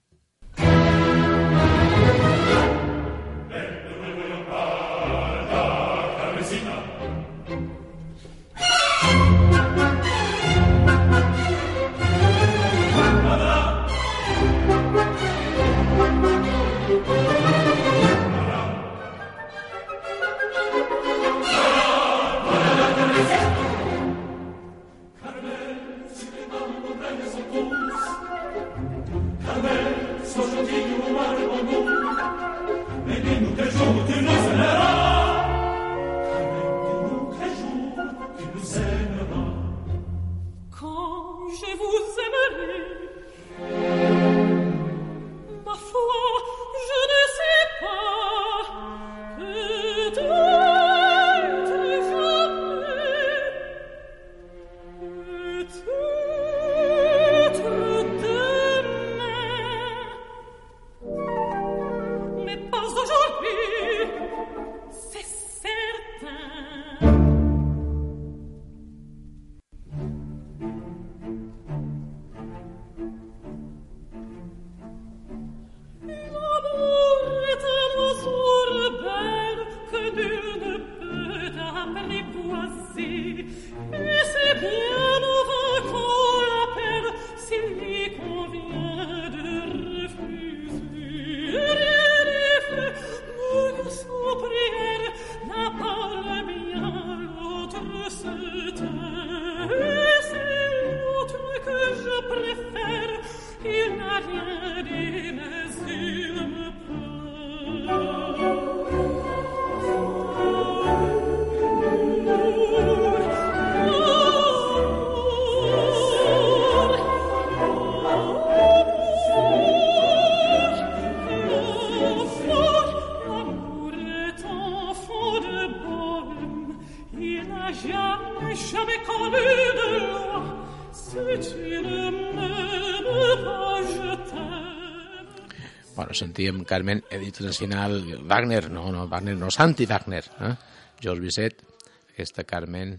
Bueno, sentíem Carmen, Internacional, Wagner, no, no, Wagner no, Santi Wagner, eh? George Bizet, aquesta Carmen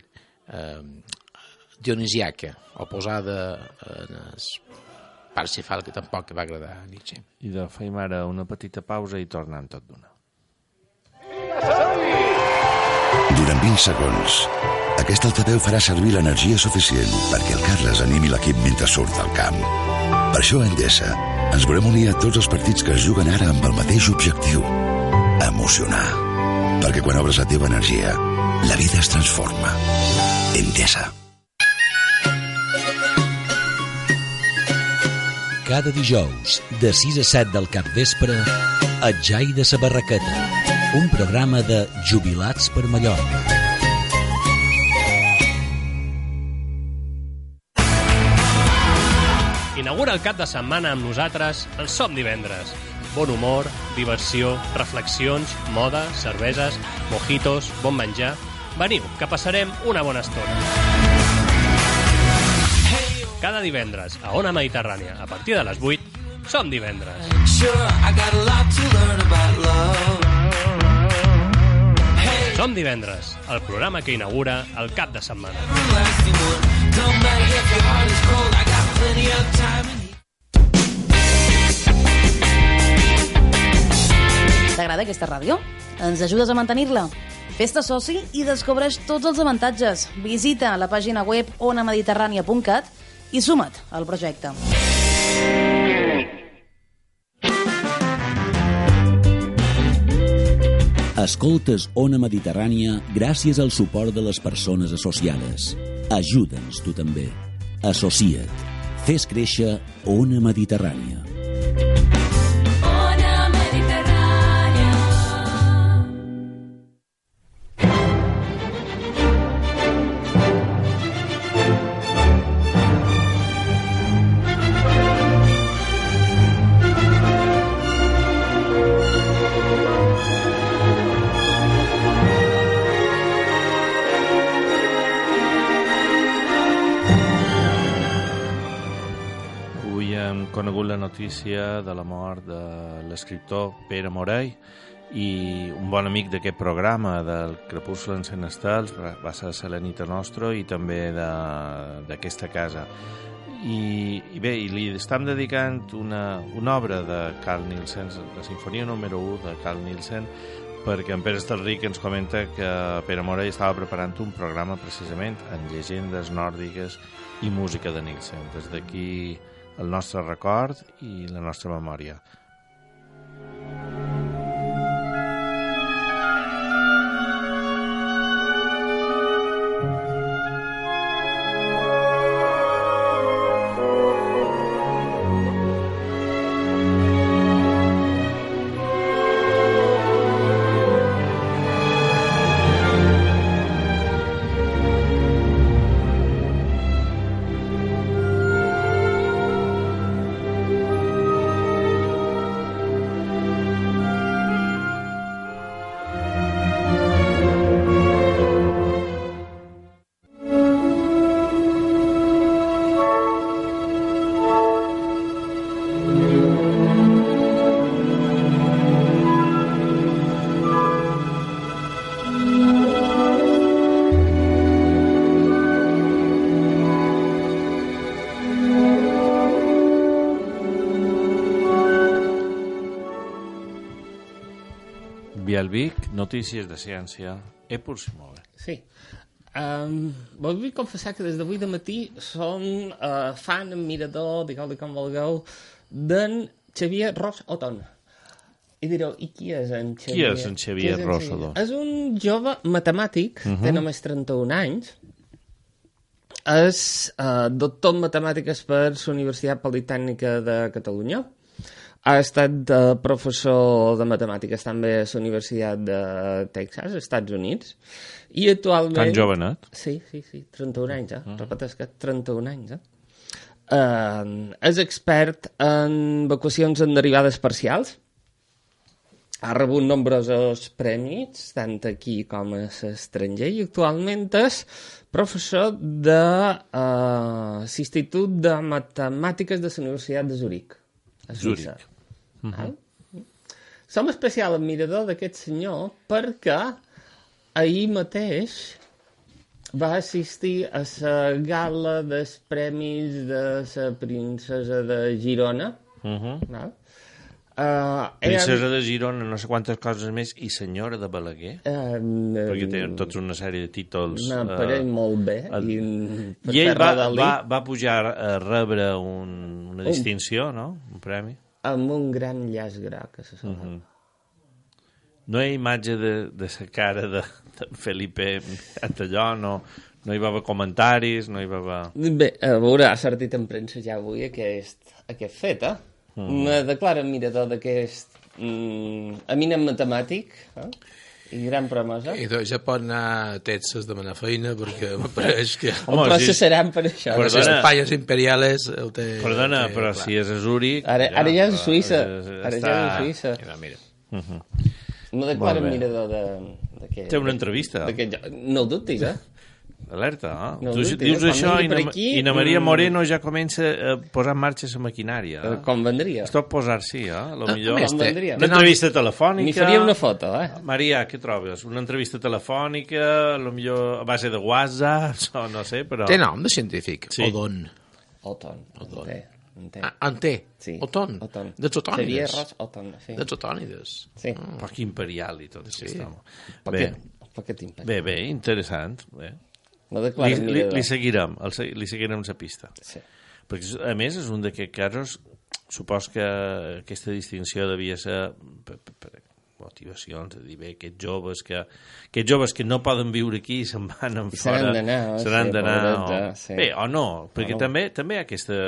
eh, dionisiaca, oposada en el Parsifal, que tampoc va agradar a Nietzsche. I de feim ara una petita pausa i tornem tot d'una. Durant vint segons, aquest altaveu farà servir l'energia suficient perquè el Carles animi l'equip mentre surt al camp. Per això a Endesa ens volem unir a tots els partits que es juguen ara amb el mateix objectiu: emocionar. Perquè quan obres la teva energia, la vida es transforma. Endesa. Cada dijous, de sis a set del capvespre, El Jai de sa Barraqueta, un programa de Jubilats per Mallorca. Inaugura el cap de setmana amb nosaltres el Som Divendres. bon humor, diversió, reflexions, moda, cerveses, mojitos, bon menjar... Veniu, que passarem una bona estona. Cada divendres a Ona Mediterrània, a partir de les vuit, som divendres. Som divendres, el programa que inaugura el cap de setmana. T'agrada aquesta ràdio? Ens ajudes a mantenir-la? Fes-te soci i descobreix tots els avantatges. Visita la pàgina web ona mediterrània punt cat i suma't al projecte. Escoltes Ona Mediterrània gràcies al suport de les persones associades. Ajuda'ns tu també. Associa't. Fes créixer Ona Mediterrània. Conegut la notícia de la mort de l'escriptor Pere Morell i un bon amic d'aquest programa del Crepuscle encén estels va ser Selenita Nostro i també d'aquesta casa i, i bé, i li estem dedicant una, una obra de Carl Nielsen, la sinfonia número u de Carl Nielsen, perquè en Pere Estelric ens comenta que Pere Morell estava preparant un programa precisament en llegendes nòrdiques i música de Nielsen. Des d'aquí el nostre record i la nostra memòria. Bialvic, notícies de ciència, Epur Simove. Sí. Um, vull confessar que des d'avui de matí som uh, fan, admirador, digueu-li com vulgueu, d'en Xavier Ros Oton. I direu, i qui és en Xavier? Qui és en Xavier Ros Oton? És un jove matemàtic, uh-huh. té només trenta-un anys, és uh, doctor en matemàtiques per la Universitat Politècnica de Catalunya. Ha estat uh, professor de matemàtiques també a la Universitat de Texas, als Estats Units, i actualment... Tan jovenet? Sí, sí, sí, trenta-un anys, eh? Uh-huh. Repeteix que trenta-un anys, eh? Uh, és expert en equacions en derivades parcials. Ha rebut nombrosos premis, tant aquí com a l'estranger, i actualment és professor de uh, l'Institut de Matemàtiques de la Universitat de Zurich, a Suïssa. Zurich. Uh-huh. Som especial admirador d'aquest senyor perquè ahir mateix va assistir a la gala dels premis de la princesa de Girona. Uh-huh. No? Uh, princesa de Girona, no sé quantes coses més, i senyora de Balaguer, uh, perquè tenen tots una sèrie de títols. Un aparell uh, molt bé. Uh, I, I ell va, va, va pujar a rebre un, una distinció, un, no? Un premi. Amb un gran llaç groc, a la sola. Uh-huh. No hi ha imatge de, de la cara de, de Felipe Antalló, no, no hi va haver comentaris, no hi va haver... Bé, a veure, ha sortit en premsa ja avui aquest, aquest fet, eh? Uh-huh. Me declaro admirador d'aquest mm, eminent matemàtic, eh? I gran promesa. I doncs ja pot anar a Texas a demanar feina, perquè m'apareix que... Home, processaran per això. Per les Espanyes imperiales... El té, Perdona, té, però clar. si és a Zúrich... Ara, ja, ara ja és a Suïssa. Està... Ara ja és a Suïssa. Mira, mira. Uh-huh. No declaren mirador de... de Té una entrevista. No ho dubtis, eh? Alerta, eh? No, tu dubtis, dius eh? això i na, aquí, i na Maria mm... Moreno ja comença a posar en marxa la maquinària. Eh? Com vendria. Es pot posar-sí, eh? Lo millor... Com vendria. Una entrevista telefònica... N'hi faria una foto, eh? Maria, què trobes? Una entrevista telefònica, lo millor a base de WhatsApp, o no sé, però... Té nom de científic? Sí. Odon. Oton. Odon. En té. Ah, en té? Sí. Oton. Oton. De Zotònides. Xavier Ros Oton, sí. De Zotònides. Sí. Un poc imperial i tot, sí. Bé, Poquet imperial. bé, bé, interessant. Bé. No li, li, li seguirem, el, li seguirem la pista. Sí. Perquè, a més, és un d'aquests casos, supos que aquesta distinció devia ser per, per, per motivacions, de dir, bé, aquests joves que, aquests joves que no poden viure aquí i se'n van en fora... Seran d'anar, seran sí, d'anar, pobreta, o, sí. Bé, o no, perquè o no. també també aquesta...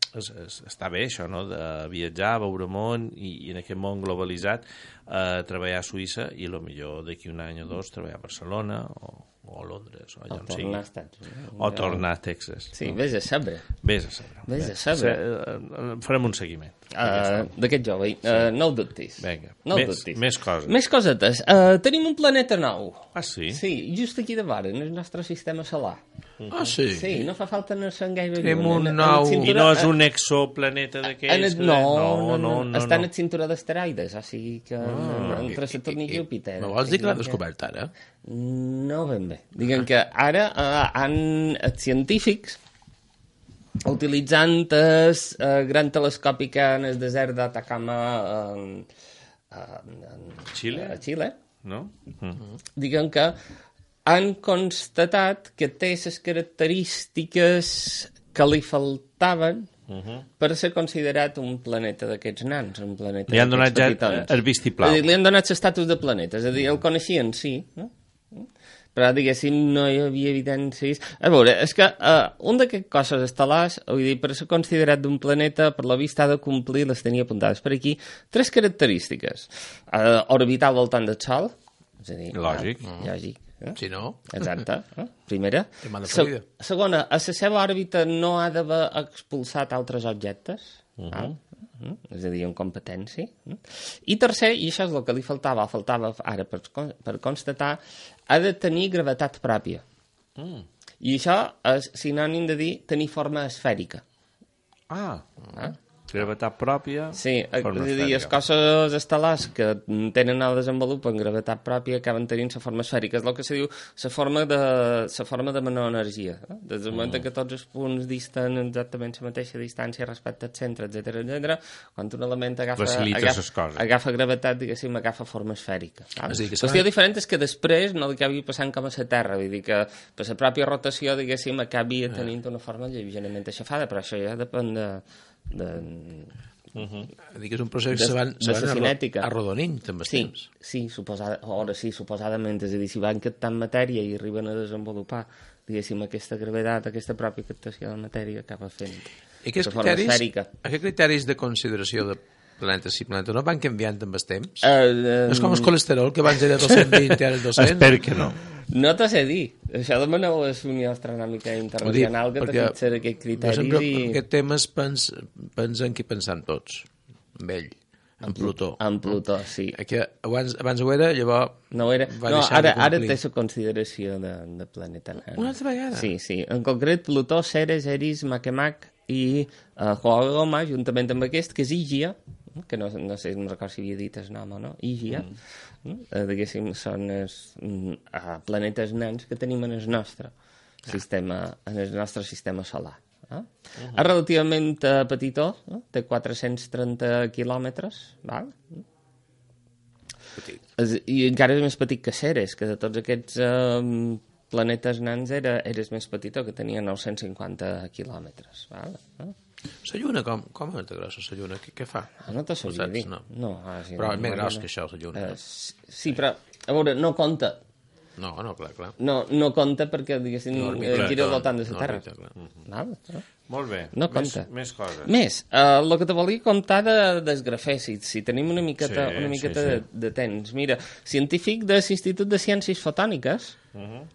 Es, es, està bé això, no?, de viatjar, veure món i, i en aquest món globalitzat eh, treballar a Suïssa i a lo millor d'aquí un any o dos treballar a Barcelona o, o a Londres o allà o on sigui. tornar a Estats Units. O tornar a Texas. Sí, vés a saber. Vés a saber. Vés a saber. Se, farem un seguiment. Uh, D'aquest jove, uh, no ho dubtis. Vinga, no més, dubtis. més coses. Més cosetes. Uh, tenim un planeta nou. Ah, sí? Sí, just aquí de vora, en el nostre sistema solar. Ah, sí? Sí, no fa falta anar-se'n gaire Tenim lluny. un nou... I no és un exoplaneta d'aquells? No, no, no, no, no, està en no. el cinturó d'asteroides, o sigui que ah, entre Saturn i Júpiter. Me vols dir que l'ha descobert ara? No ben bé. Diguem que ara uh, han els científics utilitzant el uh, gran telescopi que en el desert d'Atacama uh, uh, Xile? a Xile, No? Mm. diguem que han constatat que té les característiques que li faltaven Uh -huh. per ser considerat un planeta d'aquests nans, un planeta Li han donat ja petitons. el vistiplau. És a dir, li han donat l'estatus de planeta, és a dir, el coneixien, sí, no? Però, diguéssim, no hi havia evidències... A veure, és que uh, un d'aquests cossos estel·lars, vull dir, per ser considerat d'un planeta, per la vista ha de complir, les tenia apuntades per aquí, tres característiques. Uh, orbitar al voltant del Sol, és a dir... Lògic. Uh, lògic. Eh? Si no... Exacte. Eh? Primera. Tema de Se Florida. segona, a la seva òrbita no ha d'haver expulsat altres objectes. Uh -huh. val? Uh -huh. És a dir, en competència. Uh -huh. I tercer, i això és el que li faltava, faltava ara per, per constatar, ha de tenir gravetat pròpia. Mm. I això és sinònim de dir tenir forma esfèrica. Ah, Ah? gravetat pròpia, Sí, forma és a dir, els esfèrica. cossos estel·lars que tenen el desenvolupen gravetat pròpia acaben tenint la forma esfèrica. És el que se diu la forma de, la forma de menor energia. Eh? Des del moment Mm. que tots els punts disten exactament la mateixa distància respecte al centre, etcètera, etcètera, quan un element agafa, Facilita agafa, les coses. agafa gravetat, diguéssim, agafa forma esfèrica. Val? És a dir, que La qüestió s'ha- diferent és que després no li acabi passant com a la Terra, vull dir que per la pròpia rotació, diguéssim, acabi tenint una forma lleugerament aixafada, però això ja depèn de... de Uh -huh. Dir que és un procés que de, se van, se de van la cinètica. arrodonint amb el Sí, temps. sí, suposada, ara sí, suposadament, és a dir, si van captant matèria i arriben a desenvolupar, diguéssim, aquesta gravetat, aquesta pròpia captació de matèria, acaba fent I aquests de forma criteris, esfèrica. aquests criteris de consideració de planeta sí, planeta no van canviant amb el temps? Uh, uh, És com el colesterol, que abans era dos-cents vint i ara el dos-cents. Espero que no. No t'ho sé dir. Això demaneu a la Unió Astronòmica Internacional que te fixarà aquests criteris jo sempre, i... en aquest tema pens, pensen que hi pensant tots. Amb ell, amb Plutó. Amb Plutó, sí. Que abans, abans ho era, llavors No, era... va no deixar ara, de ara complir. té la consideració de, de planeta nan. Una altra vegada? Sí, sí. En concret, Plutó, Ceres, Eris, Makemake i uh, Huagoma, juntament amb aquest, que és Ígia, que no, no sé, no recordo si havia dit el nom o no, Ígia, mm. uh, diguéssim, són els uh, planetes nans que tenim en el nostre ah. sistema, en el nostre sistema solar. Eh? Uh -huh. És relativament uh, petitó, eh? Té quatre-cents trenta quilòmetres, val? Petit. És, i encara és més petit que Ceres, que de tots aquests eh, planetes nans era, era el més petitó, que tenia nou-cents cinquanta quilòmetres. Val? Eh? La Lluna, com, com és de grossa la Lluna? Què, què fa? Ah, no te sabria dir. No. no ah, sí, Però no, és més no, gros no. que això, la Lluna. Eh, sí, però, a veure, no compta. No, no, clar, clar. No, no compta perquè, diguéssim, No, eh, gira al voltant de la no, Terra. orbita, clar. Val? No? Molt bé. No més, compta. més coses. Més, el uh, que te volia contar de, del grafè, si, si tenim una miqueta, Sí, una miqueta sí, sí. De, de temps. Mira, científic de l'Institut de Ciències Fotòniques, Uh -huh.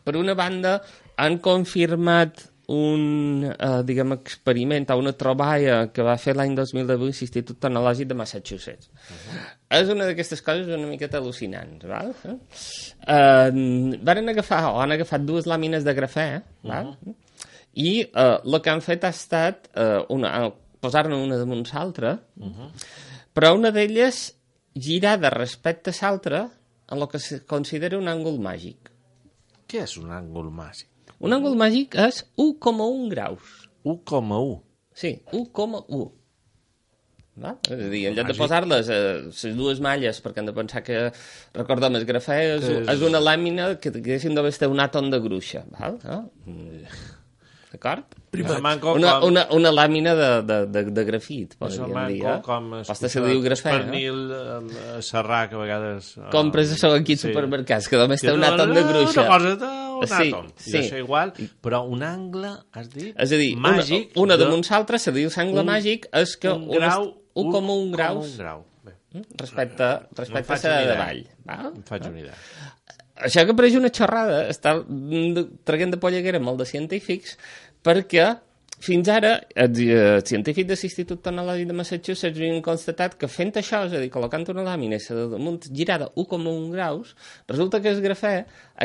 per una banda, han confirmat un, uh, diguem, experiment o una troballa que va fer l'any dos mil divuit l'Institut Tecnològic de Massachusetts. Uh-huh. És una d'aquestes coses una miqueta al·lucinants, val? Uh, van agafar, o han agafat dues làmines de grafè, val? Uh-huh. I uh, el que han fet ha estat uh, una, posar-ne una damunt l'altra, uh-huh. però una d'elles girada respecte a l'altra en el que se considera un àngul màgic. Què és un àngul màgic? Un àngul màgic és u coma un graus. u coma u? Sí, u coma u. Va? És a dir, en lloc de posar-les a les dues malles, perquè hem de pensar que, recordem, el grafè és, és... és una làmina que diguéssim d'haver estat un àtom de gruixa. Val? No? D'acord? Una, una, una, una làmina de, de, de, de grafit, podríem dir. Eh? Com Pasta se diu grafè, el pernil eh? serrà, que a vegades... Eh, compres això aquí als sí. supermercats, que només té un àtom de gruixa. Una cosa d'un sí, àtom. I sí. això igual, però un angle, has dit? És a dir, màgic, una, una de damunt l'altra, se diu l'angle un, màgic, és que un grau, un coma un graus un grau. Bé. respecte, respecte no a la de davall. Val? Em faig una idea. Això que pareix una xorrada, està traient de polleguera molt de científics, perquè fins ara els eh, científics de l'Institut Tecnològic de Massachusetts havien constatat que fent això, és a dir, col·locant una làmina damunt girada u coma un graus, resulta que el grafè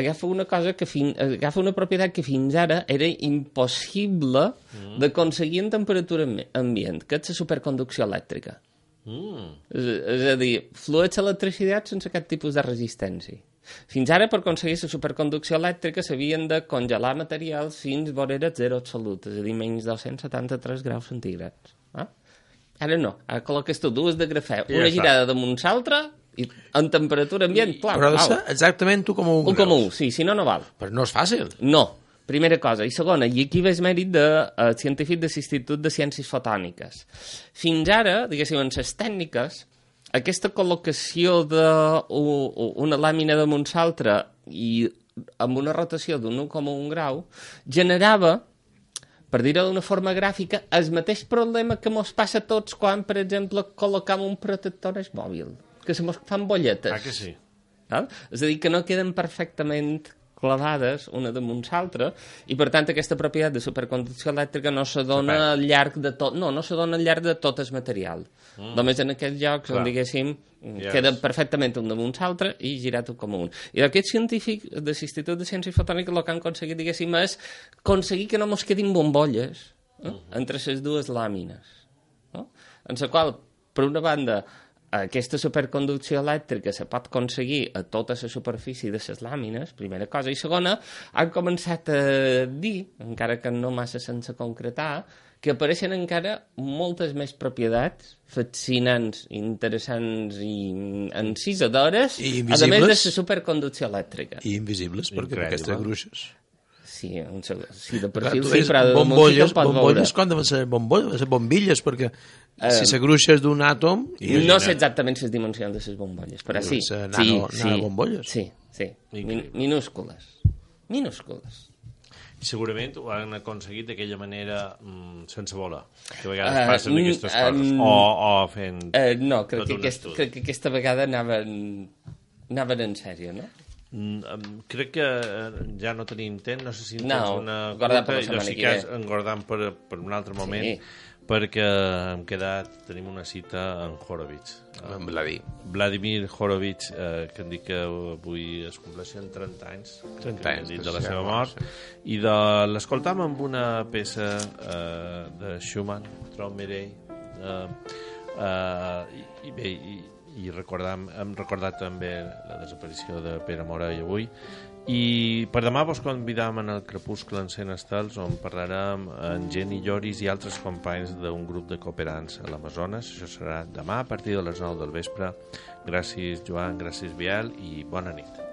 agafa una cosa que fin, agafa una propietat que fins ara era impossible mm. d'aconseguir en temperatura ambient, que és la superconducció elèctrica. Mm. És, és a dir, flueix l'electricitat sense cap tipus de resistència. Fins ara, per aconseguir la superconducció elèctrica, s'havien de congelar materials fins vora zero absolut, és a dir, menys dos-cents setanta-tres graus centígrads. Eh? Ara no, ara col·loques tu dues de grafè, I una ja girada damunt l'altra, i en temperatura ambient, clar, però val. exactament tu com un un com un, sí, si no, no val. Però no és fàcil. No, primera cosa. I segona, i aquí ve el mèrit de uh, científic de l'Institut de Ciències Fotòniques. Fins ara, diguéssim, en les tècniques, aquesta col·locació d'una làmina damunt l'altra i amb una rotació d'un u coma un grau generava, per dir-ho d'una forma gràfica, el mateix problema que mos passa a tots quan, per exemple, col·locam un protector al mòbil, que se mos fan bolletes. Ah, que sí? Val? És a dir, que no queden perfectament clavades una damunt l'altra, i per tant aquesta propietat de superconducció elèctrica no se dona al llarg de tot, no, no se dona al llarg de tot el material. Mm. Només en aquests llocs Clar. on, diguéssim, yes. queda perfectament un damunt l'altre i girat un com un. I aquest científic de l'Institut de Ciències Fotòniques el que han aconseguit, diguéssim, és aconseguir que no mos quedin bombolles eh, uh -huh. entre les dues làmines. No? En la qual, per una banda, aquesta superconducció elèctrica se pot aconseguir a tota la superfície de les làmines, primera cosa, i segona, han començat a dir, encara que no massa sense concretar, que apareixen encara moltes més propietats fascinants, interessants i encisadores, I a més de la superconducció elèctrica. I invisibles, perquè Incredible. aquestes gruixes. Sí, un segon. Sí, de perfil Clar, sí, però de bombolles, bombolles, quan deuen ser bombolles, ser bombilles, perquè uh, si la gruixa és d'un àtom... No sé exactament les dimensions de les bombolles, però sí. Nano, sí, nano sí, bombolles. Sí, sí, Min minúscules. Minúscules. I segurament ho han aconseguit d'aquella manera mm, sense voler, que a vegades uh, passen aquestes uh, coses, um, o, o fent uh, no, crec que, aquest, crec que aquesta vegada anaven, anaven en sèrio, no? Mm, crec que ja no tenim temps, no sé si no, tens una curta, jo sí que engordant per, per un altre moment, sí. perquè hem quedat, tenim una cita en Horowitz. En Vladimir. Vladimir Horowitz, eh, que em dic que avui es compleixen trenta anys, trenta anys dit de la seva mort, sí. I l'escoltam amb una peça eh, de Schumann, Traumerei, eh, eh, i, i bé, i, i recordam, hem recordat també la desaparició de Pere Morell avui, i per demà vos convidam en el Crepuscle encén estels, on parlarem amb Jenny Lloris i altres companys d'un grup de cooperants a l'Amazones. Això serà demà a partir de les nou del vespre. Gràcies, Joan, gràcies, Biel, i bona nit.